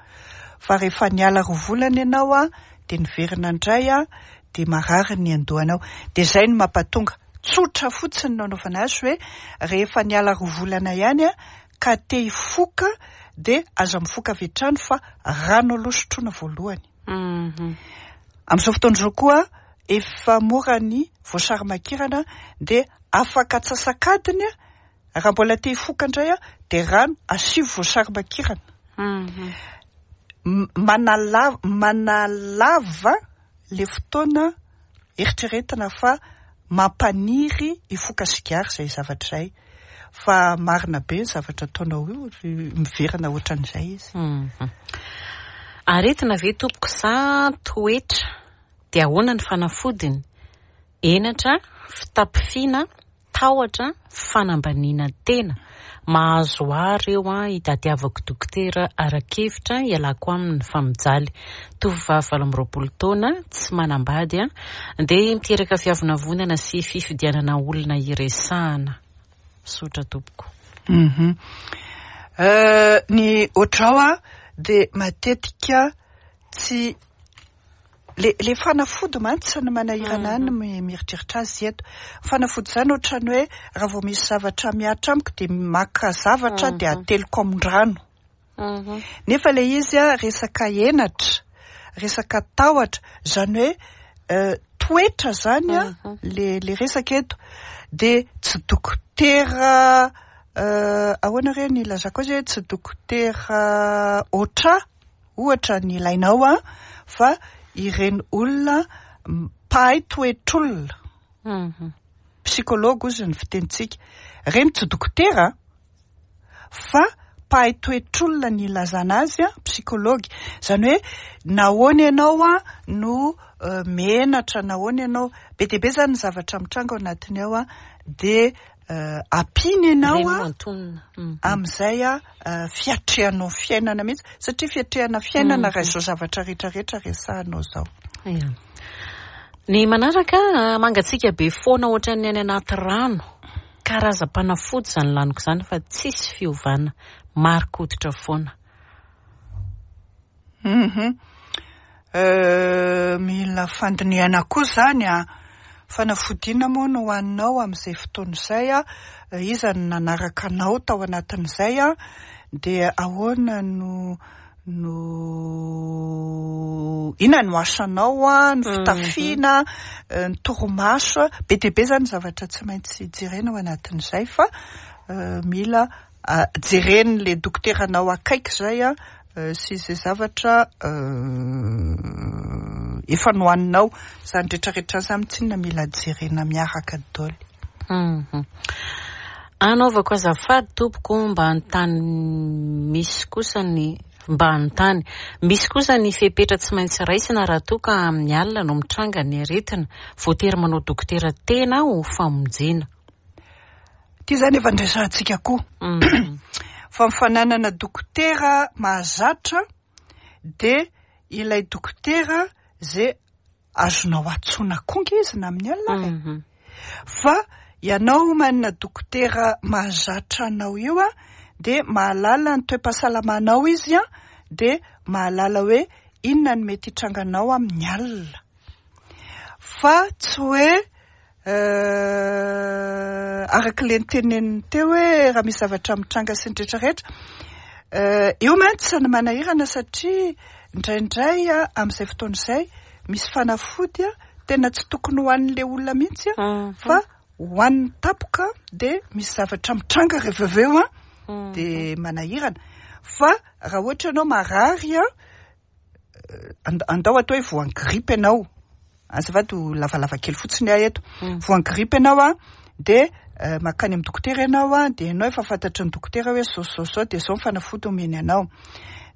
Fa rehefa niala roa volana ianao a, de niverina indray a, de marary ny andohanao. De zay no mampatonga tsotra fotsiny no anaovana azy hoe rehefa niala roa volana ihany a, ka te hifoka de aza mifoka avy hatrany fa rano aloha sotroina voalohany. Amin'izao fotoana izao koa efa mora ny voasary makirana, de afaka atsasak'adiny a, raha mbola te hifoka indray a, de rano asio voasary makirana. Manalava, manalava le fotoana eritreretina fa mampaniry hifoka sigara izay zavatra izay. Fa marina be ny zavatra ataonao io, miverina ohatran'izay izy. Aretina ve tompoko sa toetra? De ahoana ny fanafodiny? Henatra, fitapifiana, tahotra, fanambaniana tena. Mahazo ahy ireo a, hitadiavako dokotera ara-kevitra hialako aminy fa mijaly. Tovovavy valo amby roapolo taona, tsy manambady a, de miteraka fiavonavonana sy fifidianana olona iresahana. Misaotra tompoko. Mhm. Ny ohatrao a de matetika tsy le le fanafody mantsy ny manahirana any mieritreritra azy eto. Fanafody zany ohatrany hoe raha vao misy zavatra mihatra amiko de maka zavatra de ateliko amin-drano. Nefa le izy a resaka henatra, resaka tahotra, zany hoe toetra zany a le le resaka eto. De tsy dokotera ahoana re ny ilazako azy hoe tsy dokotera oatra ohatra ny ilainao a, fa ireny olona mpahay toetr'olona, psikology ozy ny fitenintsika. Reny tsy dokotera fa mpahay toetr'olona ny ilazana azy a, psikology. Zany hoe nahoana ianao a no menatra, nahoana ianao, be dia be zany ny zavatra mitranga ao anatiny ao a, de ampiana ianao a amin'izay a fiatrehanao fiainana mihitsy, satria fiatrehana fiainana raha izao zavatra rehetrarehetra resahanao izao. Ia. Ny manaraka, mangatsiaka be foana ohatran'ny any anaty rano. Karazam-panafody izany laniko izany fa tsisy fiovana, marikoditra foana. Mhm. Mila fandinihana koa zany a. Fanafodiana moa no hohaninao amin'izay fotoana izay a, iza no nanaraka anao tao anatin'izay a, de ahoana no no inona no asanao a, ny fitafiana, ny torimaso, be dia be zany zavatra tsy maintsy jerena ao anatin'izay fa mila jeren'le dokoteranao akaiky izay a, sy izay zavatra efa nohaninao, zany rehetrarehetra zany tsinona mila jerena miaraka daholo. Anaovako azafady tompoko mba anontany misy kosa ny Mba hanontany. Misy kosa ny fepetra tsy maintsy raisina raha toa ka amin'ny alina no mitranga ny aretina. Voatery manao dokotera tena ho famonjena. Ity izany efa nresahantsika koa. Fa ny fananana dokotera mahazatra dia ilay dokotera izay azonao antsoina koa nge izy na amin'ny alina ary. Fa ianao manana dokotera mahazatra anao io a, dia mahalala ny toe-pahasalamanao izy a, dia mahalala hoe inona no mety hitranganao amin'ny alina. Fa tsy hoe araka ilay niteneniny teo hoe raha misy zavatra mitranga sy ny rehetrarehetra. Io mantsy no manahirana satria indraindray a, amin'izay fotoana izay misy fanafody a, tena tsy tokony ho an'ilay olona mihitsy a, fa ho an'ny tapoka dia misy zavatra mitranga rehefa avy eo a, dia manahirana. Fa raha ohatra ianao marary a, andao atao hoe voan'ny grippe ianao. Azafady ho lavalava kely fotsiny aho eto. Voan'ny grippe ianao a, dia mankany amin'ny dokotera ianao a, dia ianao efa fantatry ny dokotera hoe zao zao zao dia zao ny fanafody omeny anao.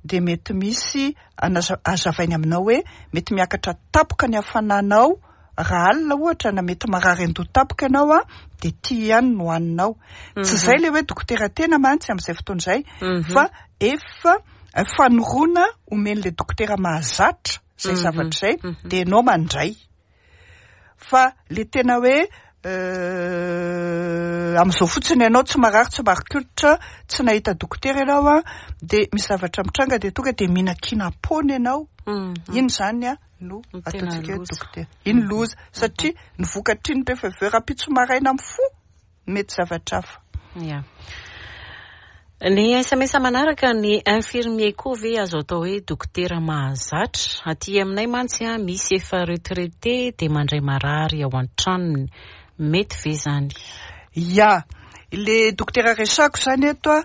Dia mety misy hazavainy aminao hoe mety miakatra tapoka ny hafananao raha alina ohatra, na mety marary an-doha tapoka ianao a, dia ty ihany no haninao. Tsy izay ilay hoe dokotera tena mantsy amin'izay fotoana izay, fa efa fanoroana omen'ilay dokotera mahazatra izay zavatra izay, dia ianao mandray. Fa le tena hoe amin'izao fotsiny ianao tsy marary, tsy marikolitra, tsy nahita dokotera ianao a, dia misy zavatra mitranga dia tonga dia mihinan-kinam-poana ianao. Iny izany a no ataontsika hoe dokotera. Iny loza, satria ny vokatr'iny rehefa avy eo rahampitso maraina amin'ny fo mety zavatra hafa. Ya. Ny S M S manaraka, ny infirmier koa ve azo atao hoe dokotera mahazatra? Aty aminay mantsy a, misy efa retraité dia mandray marary ao an-tranony. Mety ve izany? Ya, le dokotera resako izany eto a,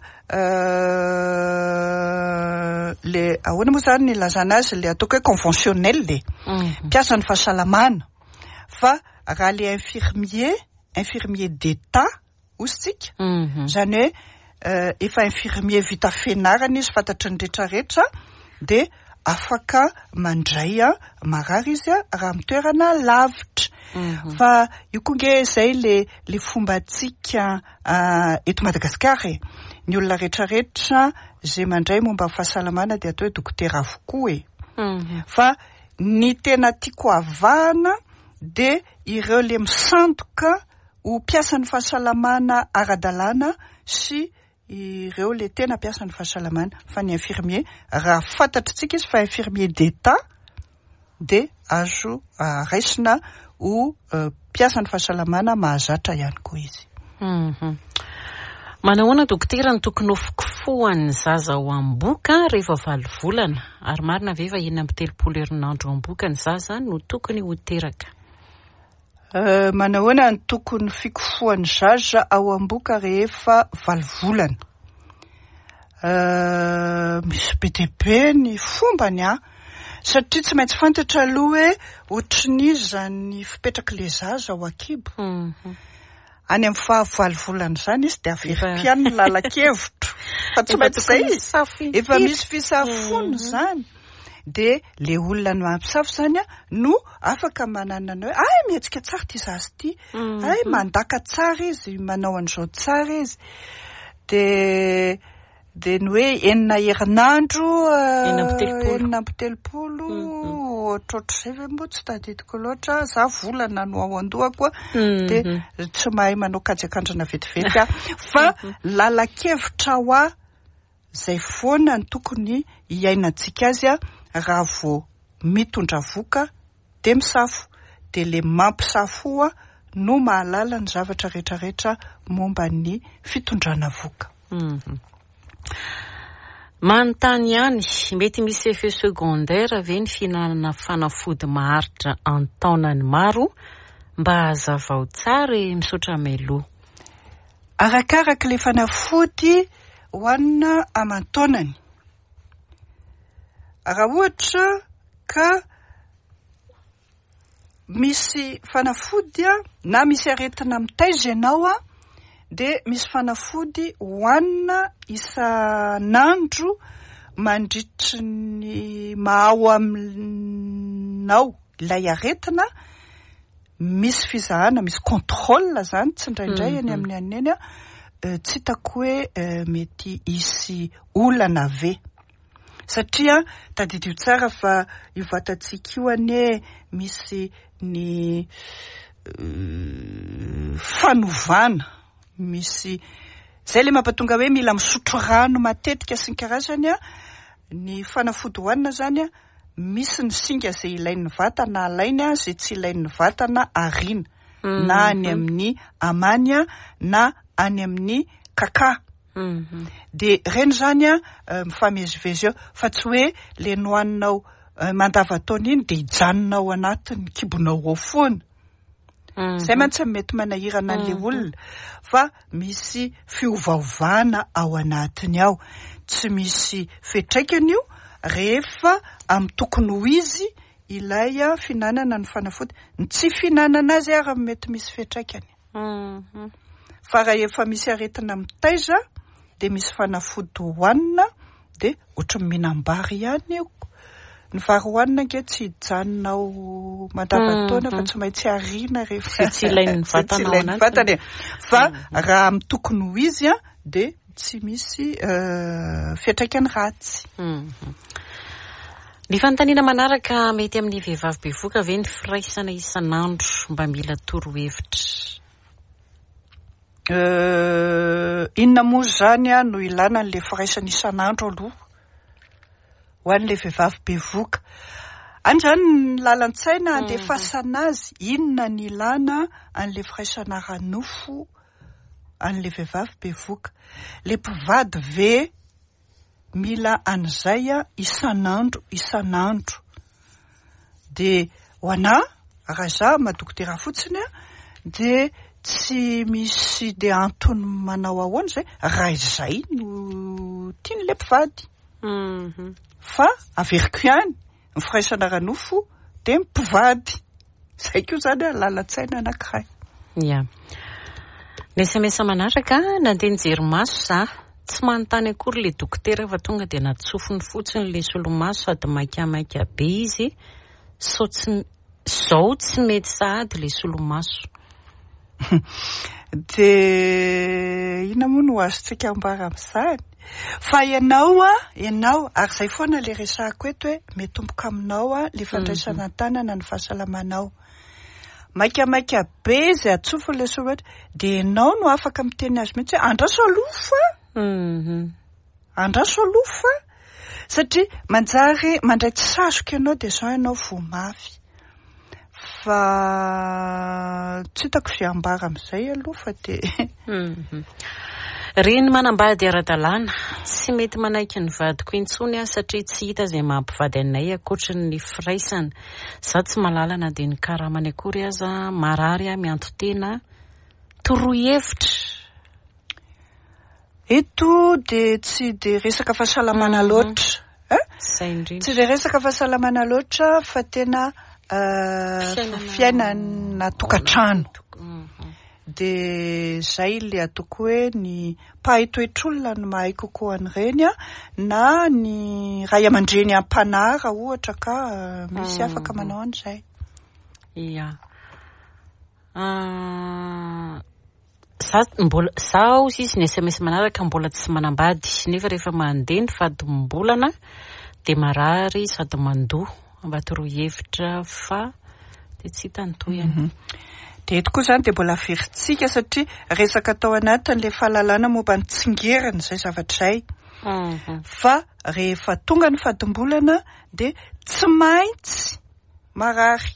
le ahoana moa izany ny ilazana azy, le ataoko hoe conventionnel e. Mpiasa ny fahasalamana. Fa raha le infirmier, infirmier d'état ositsika, izany hoe efa infirmier vita fianarana izy, fantatry ny rehetrarehetra, dia afaka mandray a marary izy a raha amin'ny toerana lavitra. Fa io koa nge izay le, le fombantsika eto Madagasikara e. Ny olona rehetrarehetra izay mandray momba ny fahasalamana dia atao hoe dokotera avokoa e. Fa ny tena tiako avahana dia ireo le misandoka ho mpiasan'ny fahasalamana ara-dalàna sy ireo le tena mpiasan'ny fahasalamana. Fa ny infirmier, raha fantatritsika izy fa infirmier d'état, dia azo raisina ho mpiasan'ny fahasalamana mahazatra ihany koa izy. Manahoana dokotera ny tokony ho fikofohan'ny zaza ao am-boka rehefa valo volana? Ary marina ve fa enina amby telopolo herinandro ao am-boka ny zaza no tokony ho teraka? Manahoana ny tokony fikofohan'ny zaza ao am-boka rehefa valo volana? Misy be dia be ny fombany a, satria tsy maintsy fantatra aloha hoe ohatrin'iza ny fipetrak'ilay zaza ao an-kibo. Any amin'ny faha valo volana izany izy dia averiko ihany ny lalan-kevitro. Fa tsy maintsy izay izy. Efa misy fisafoana izany. Dia le olona no mampisafo izany a, no afaka manana ny hoe ay mihetsika tsara ity zaza ity, ay mandaka tsara izy, manao an'izao tsara izy. Dia, dia ny hoe enina herinandro, Enina amby telopolo. enina amby telopolo, ohatrohatr'izay ve moa tsy tadidiko loatra, za volana no ao an-dohako a, dia tsy mahay manao kajy akandrana vetivety aho. Fa lalan-kevitra ho ahy izay foana ny tokony hiainantsika azy a, raha vao mitondra voka dia misafo, dia le mampisafo a no mahalala ny zavatra rehetrarehetra momba ny fitondrana voka. Manontany ihany, mety misy effet secondaire ve ny fihinanana fanafody maharitra an-taonany maro? Mba hazavao tsara e, misaotra mialoha. Arakaraka ilay fanafody hohanina aman-taonany. Raha ohatra ka misy fanafody a, na misy aretina mitaiza ianao a, dia misy fanafody hohanina isan'andro mandritry ny maha-ao aminao ilay aretina, misy fizahana, misy contrôle zany tsindraindray eny amin'ny anina eny a, tsy hitako hoe mety hisy olana ve, satria tadidio tsara fa io vatantsika io anie misy ny fanovana, misy zay le mampatonga hoe mila misotro rano matetika sy ny karazany a. Ny fanafody hohanina zany a, misy ny singa zay ilain'ny vatana alainy a, zay tsy ilain'ny vatana ariana, na any amin'ny amany a, na any amin'ny kaka. De reny zany a mifamezivezy eo, fa tsy hoe le nohaninao mandava-taona iny de hijanona ao anatin'ny kibonao ao foana. Zay mantsy mety manahirana an'le olona, fa misy fiovaovana ao anatiny ao. Tsy misy fiantraikany io rehefa amin'ny tokony ho izy ilay fihinanana ny fanafody. Ny tsy fihinanana azy ary mety misy fiantraikany. Fa raha efa misy aretina mitaiza de misy fanafody hohanina, de ohatry ny mihinam-bary ihany io. Ny vary hohanina ange tsy hijanona ao mandava-taona fa tsy maintsy ariana rehefa tsy ilain'ny vatana ao anatiny. Vatana e. Fa raha amin'ny tokony ho izy a, de tsy misy fiantraikany ratsy. Ny fanontaniana manaraka, mety amin'ny vehivavy bevoka ve ny firaisana isan'andro? Mba mila torohevitra. Inona moa zany a no ilana an'le firaisana isan'andro aloha ho an'le vehivavy bevoka? Any zany ny lalan-tsaina andefasana azy, inona ny ilana an'le firaisana ara-nofo an'le vehivavy bevoka? Le mpivady ve mila an'izay a isan'andro isan'andro? De ho anahy, raha izaho maha-dokotera fotsiny a, de tsy misy de antony manao ahoana izay raha izay no tian'le mpivady. Fa averiko ihany, ny firaisana ara-nofo de mpivady. Zay koa zany a lalan-tsaina anankiray. Ya. Ny S M S manaraka, nandeha nijery maso za. Tsy manontany akory le dokotera fa tonga de natsofony fotsiny le solomaso sady maikamaika be izy. Sao tsy, zao tsy mety sahady le solomaso. De inona moa no azontsika ambara amin'izany? Fa ianao a, ianao, ary izay foana le resahako eto hoe mitomboka aminao a le fandraisana an-tanana ny fahasalamanao. Maikamaika be izy atsofony le solomaso, de ianao no afaka miteny azy mihitsy hoe andraso aloha fa. Andraso aloha fa. Satria manjary mandray tsy sazoka ianao de izao ianao voa mafy. Fa tsy hitako izay ambara amin'izay aloha fa de Reny manambady ara-dalàna, tsy mety manaiky ny vadiko intsony aho satria tsy hita izay mampivady anay ankoatry ny firaisana. Za tsy mahalala na dia ny karamany akory aza, marary aho mianto-tena. Toroy hevitra. Eto de tsy de resaka fahasalamana loatra, eh? Zay indrindra. Tsy de resaka fahasalamana loatra fa tena fiainana tokantrano. De zay le ataoko hoe ny mpahay toetr'olona no mahay kokoa an'ireny a, na ny ray aman-dreny am-panahy raha ohatra ka misy afaka manao an'izay. Ia. Za mbola, zaho izy ny S M S manaraka mbola tsy manambady, nefa rehefa mandeha ny fadimbolana de marary sady mandoa. Mba toroy hevitra fa de tsy hita ny tohiny. De eto koa zany de mbola averintsika satria resaka tao anatin'le fahalalana momba ny tsingerina izay zavatra izay. Fa rehefa tonga ny fadimbolana de tsy maintsy marary.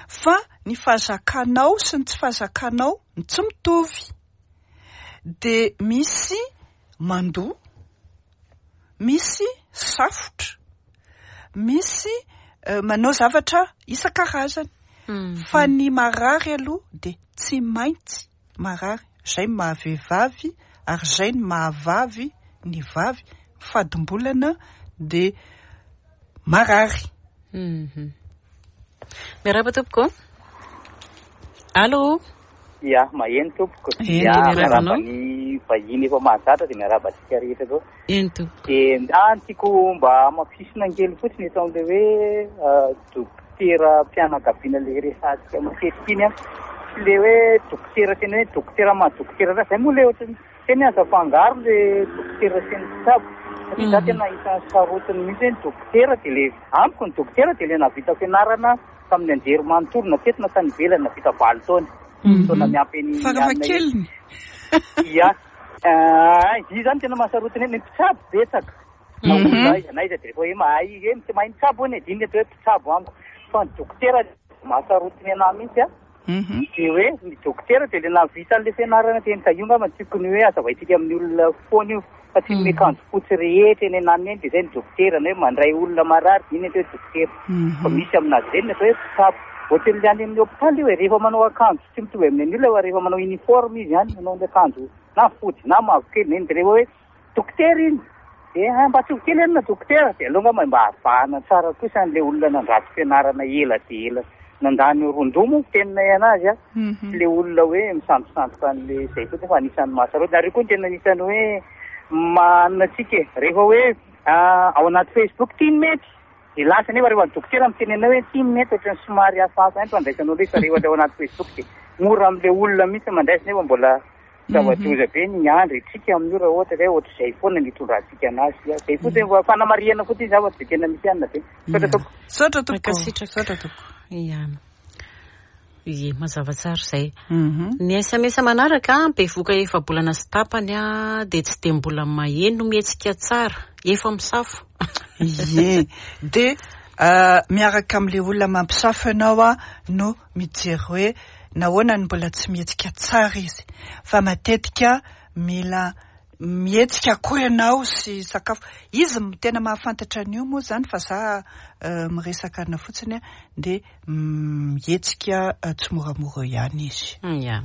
Fa ny fahazakanao sy ny tsy fahazakanao no tsy mitovy. De misy mandoa, misy safotra, misy manao zavatra isan-karazany. Fa ny marary aloha de tsy maintsy marary. Izay ny mahavehivavy ary izay ny mahavavy ny vavy. Fadimbolana de marary. Miarahaba tompoko. Allô? Ya, maheno tompoko. Eny, Ya, miarahaba miarahaba anao. ny vahiny efa mahazatra dia miarahaba antsika rehetra koa. Eny tompoko. Dia ah, ny tiako mba hamafisina kely fotsiny eto amin'ilay hoe dokotera mpianakaviana ilay resahantsika matetika iny a. Tsy ilay hoe dokotera tena hoe dokotera maha dokotera zay moa ilay ohatran'ny tena azo afangaro ilay dokotera sy ny mpitsabo. Satria za tena isan'ny sarotiny mihitsy hoe ny dokotera dia ilay amiko ny dokotera dia ilay nahavita fianarana tamin'ny anjery manontolo na teto na tany ivelany nahavita valo taona. Taona miampy ny Farafahakeliny. Ia. Ah, izy zany tena mahasarotiny hoe ny mpitsabo betsaka. Na olona aiza na aiza dia rehefa hoe mahay izy hoe tsy mahay mitsabo hono e, dia iny atao hoe mpitsabo amiko. Fa ny dokotera mahasarotiny anahy mihitsy a. Dia hoe ny dokotera dia ilay nahavita an'ilay fianarana teny ka io angamba tokony hoe hazavaintsika amin'ny olona foana io. Fa tsy ny miakanjo fotsy rehetra eny ananiny eny dia izay ny dokotera, na hoe mandray olona marary dia iny atao hoe dokotera. Fa misy aminazy ireny ny atao hoe mpitsabo. Ohatran'ilay any amin'ny hôpitaly io e, rehefa manao akanjo tsy mitovy amin'ny an'olona fa rehefa manao uniforme izy any, manao ny akanjo na fotsy na mavokely, na iny dia rehefa hoe dokotera iny dia mba tsy ho kely eny na dokotera dia aleo angamba mba havahana tsara kosa an'ilay olona nandrato fianarana ela dia ela nandany rondoha moa fiteninay anazy a. Ilay olona hoe misandosandoka an'ilay izay fotsiny fa anisan'ny mahasarotiny. Ary io koa no tena anisan'ny hoe manana antsika e. Rehefa hoe ao anaty Facebook tia ny mety dia lasa nefa rehefa ny dokotera miteny anao hoe tia ny mety ohatran'ny somary hafahafa ihany fandraisanao ilay izy fa rehefa ao anaty Facebook dia mora amin'ilay olona mihitsy mandraisa nefa mbola zava-doza be ny andro itsika amin'io raha ohatra hoe ohatr'izay foana ny hitondrantsika anazy. Izay fotsiny fa fanamarihana fotsiny zavatra dia tena misy anina be. Misaotra tompoko. Misaotra tompoko. Mankasitraka. Misaotra tompoko. Ia. Ie, mazava tsara izay. Ny S M S manaraka, bevoka efa-bolana sy tapany a, dia tsy dia mbola maheno mihetsika tsara, efa misafo. Ie, dia miaraka amin'ilay olona mampisafo ianao a no mijery hoe nahoana no mbola tsy mihetsika tsara izy. Fa matetika mila mihetsika koa ianao sy sakafo. Izy no tena mahafantatra an'io moa izany fa za miresaka ana fotsiny a, dia mihetsika tsy moramora ihany izy. Ia.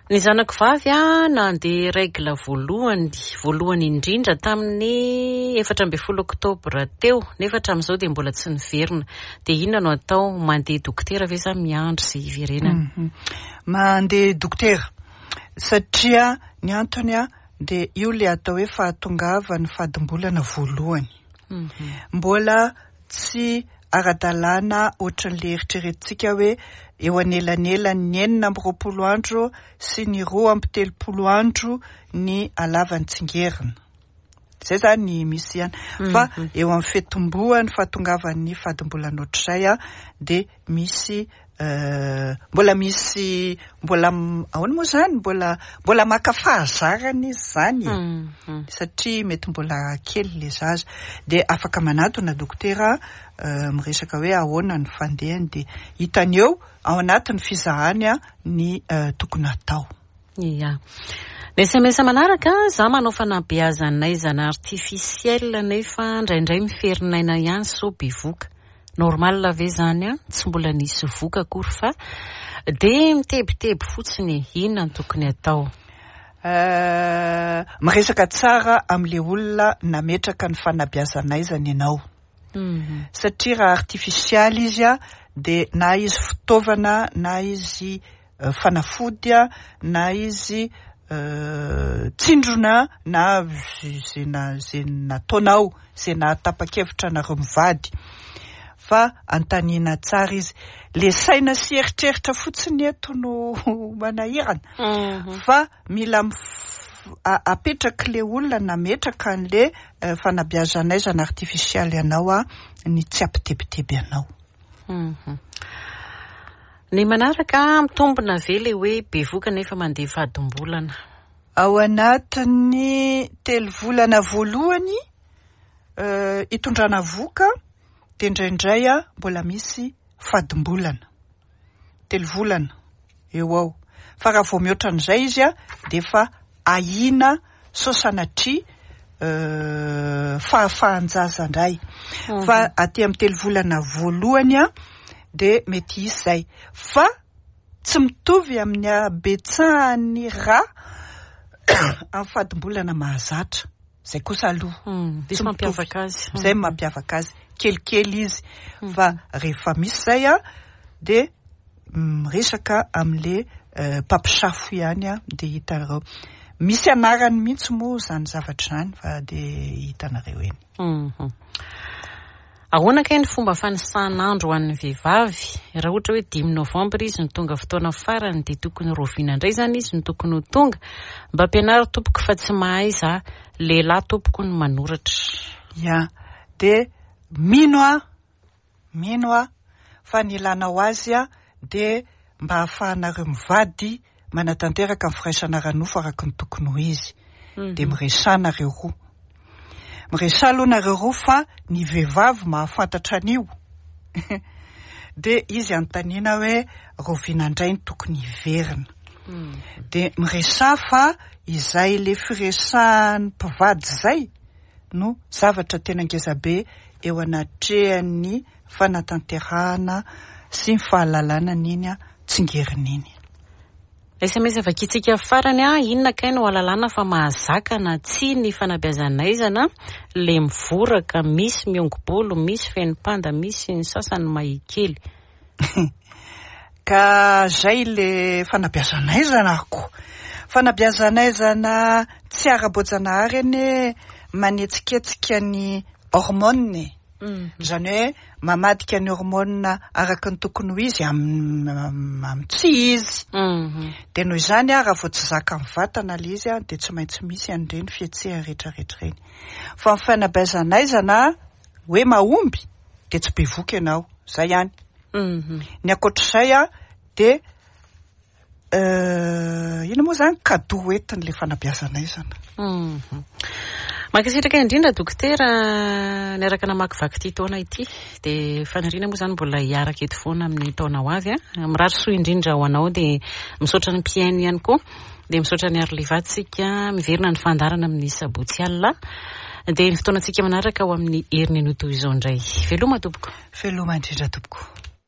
Ny zanako vavy a nandeha règle voalohany, voalohany indrindra tamin'ny efatra ambin'ny folo oktobra teo, nefa hatramin'izao dia mbola tsy niverina. Dia inona no atao? Mandeha dokotera ve sa miandry sy hiverenana? Mandeha dokotera satria ny antony a dia io ilay atao hoe fahatongavan'ny fadimbolana voalohany. Mbola tsy ara-dalàna ohatran'ilay eritreretintsika hoe eo anelanelan'ny enina amby roapolo andro sy ny roa amby telopolo andro ny halavan'ny tsingerina. Izay izany misy ihany. Fa eo amin'ny fitomboan'ny fahatongavan'ny fadimbolana ohatr'izay a dia misy mbola misy mbola ahoana moa izany mbola mbola maka fahazarana izy izany e. Satria mety mbola kely ilay zaza dia afaka manatona dokotera miresaka hoe ahoana ny fandehany dia hitany eo ao anatin'ny fizahany a ny tokony hatao. Ia. Ny S M S manaraka, za manao fanabeazana artificiel nefa indraindray miferinaina ihany sao bevoka. Normal ve zany a? Tsy mbola nisy voka akory fa dia mitebiteby fotsiny. Inona no tokony atao? Miresaka tsara amin'ilay olona nametraka ny fanabeazanaizana ianao. Satria raha artificial izy a dia na izy fitaovana na izy fanafody a na izy tsindrona na zay na zay nataonao zay nahatapa-kevitra anareo mivady. Fa anontaniana tsara izy. Le saina sy eritreritra fotsiny eto no manahirana. Fa mila apetraka le olona nametraka an'le fanabeazanaizana artificial ianao a ny tsy ampitebiteby anao. Ny manaraka, mitombina ve le hoe bevoka nefa mandeha fadimbolana? Ao anatin'ny telo volana voalohany hitondrana voka dia indraindray a mbola misy fadimbolana. Telo volana eo ao. Fa raha vao mihoatra an'izay izy a dia efa ahiana sao sanatria fahafahan-jaza indray. Fa aty amin'ny telo volana voalohany a dia mety hisy izay. Fa tsy mitovy amin'ny habetsahan'ny rà amin'ny fadimbolana mahazatra. Izay kosa aloha. Tsy mampiavaka azy. Izay mampiavaka azy. Kelikely izy. Fa rehefa misy izay a dia miresaka amin'ilay mpampisafo ihany a dia hitanareo. Misy anarany mihitsy moa izany zavatra izany fa dia hitanareo eny. Mhm. Ahoana kay ny fomba fanisan'andro ho an'ny vehivavy? Raha ohatra hoe dimy novambra izy no tonga fotoana farany dia tokony roviana indray izany izy no tokony ho tonga. Mba ampianaro tompoko fa tsy mahay za. Lehilahy tompoko no manoratra. Ya, dia mino aho, mino aho fa ny ilana ho azy a dia mba ahafahanareo mivady manatanteraka ny firaisana ara-nofo araka ny tokony ho izy. Dia miresaha nareo roa. Miresaha aloha nareo roa fa ny vehivavy mahafantatra an'io. Dia izy anontaniana hoe roviana indray ny tokony hiverina. Dia miresaha fa izay le firesahan'ny mpivady izay no zavatra tena ngezabe eo anatrehan'ny fanatanterahana sy ny fahalalana an'iny tsingerina iny. S M S vakintsika farany a, inona kay no ahalalana fa mahazaka na tsia ny fanabeazanaizana le mivoraka, misy miongo-bolo, misy feno panda, misy ny sasany mahikely. Ka zay le fanabeazanaizana ko. Fanabeazanaizana tsy ara-boajanahary anie manetsiketsika ny hormone. Izany hoe mamadika ny hormone araka ny tokony ho izy am-, amin'ny tsy izy. Dia noho izany a, raha vao tsy zaka amin'ny vatana ilay izy a, dia tsy maintsy misy an'ireny fihetsehana rehetrarehetra ireny. Fa ny fanabeazanaizana hoe mahomby dia tsy bevoka ianao, zay ihany. Ny ankoatr'izay a, dia, euh, ino moa izany cadeau entin'ilay fanabeazanaizana. Mhm. Mankasitraka indrindra dokotera niaraka namakivaky ity taona ity. Dia faniriana moa izany mbola hiaraka eto foana amin'ny taona ho avy a. Mirary soa indrindra ho anao, dia misaotra ny mpihaino ihany koa. Dia misaotra ny Arlivatsika, miverina ny fandaharana amin'ny sabotsy alina. Dia ny fotoanantsika manaraka ho amin'ny heriny anio toy izao indray. Veloma tompoko. Veloma indrindra tompoko.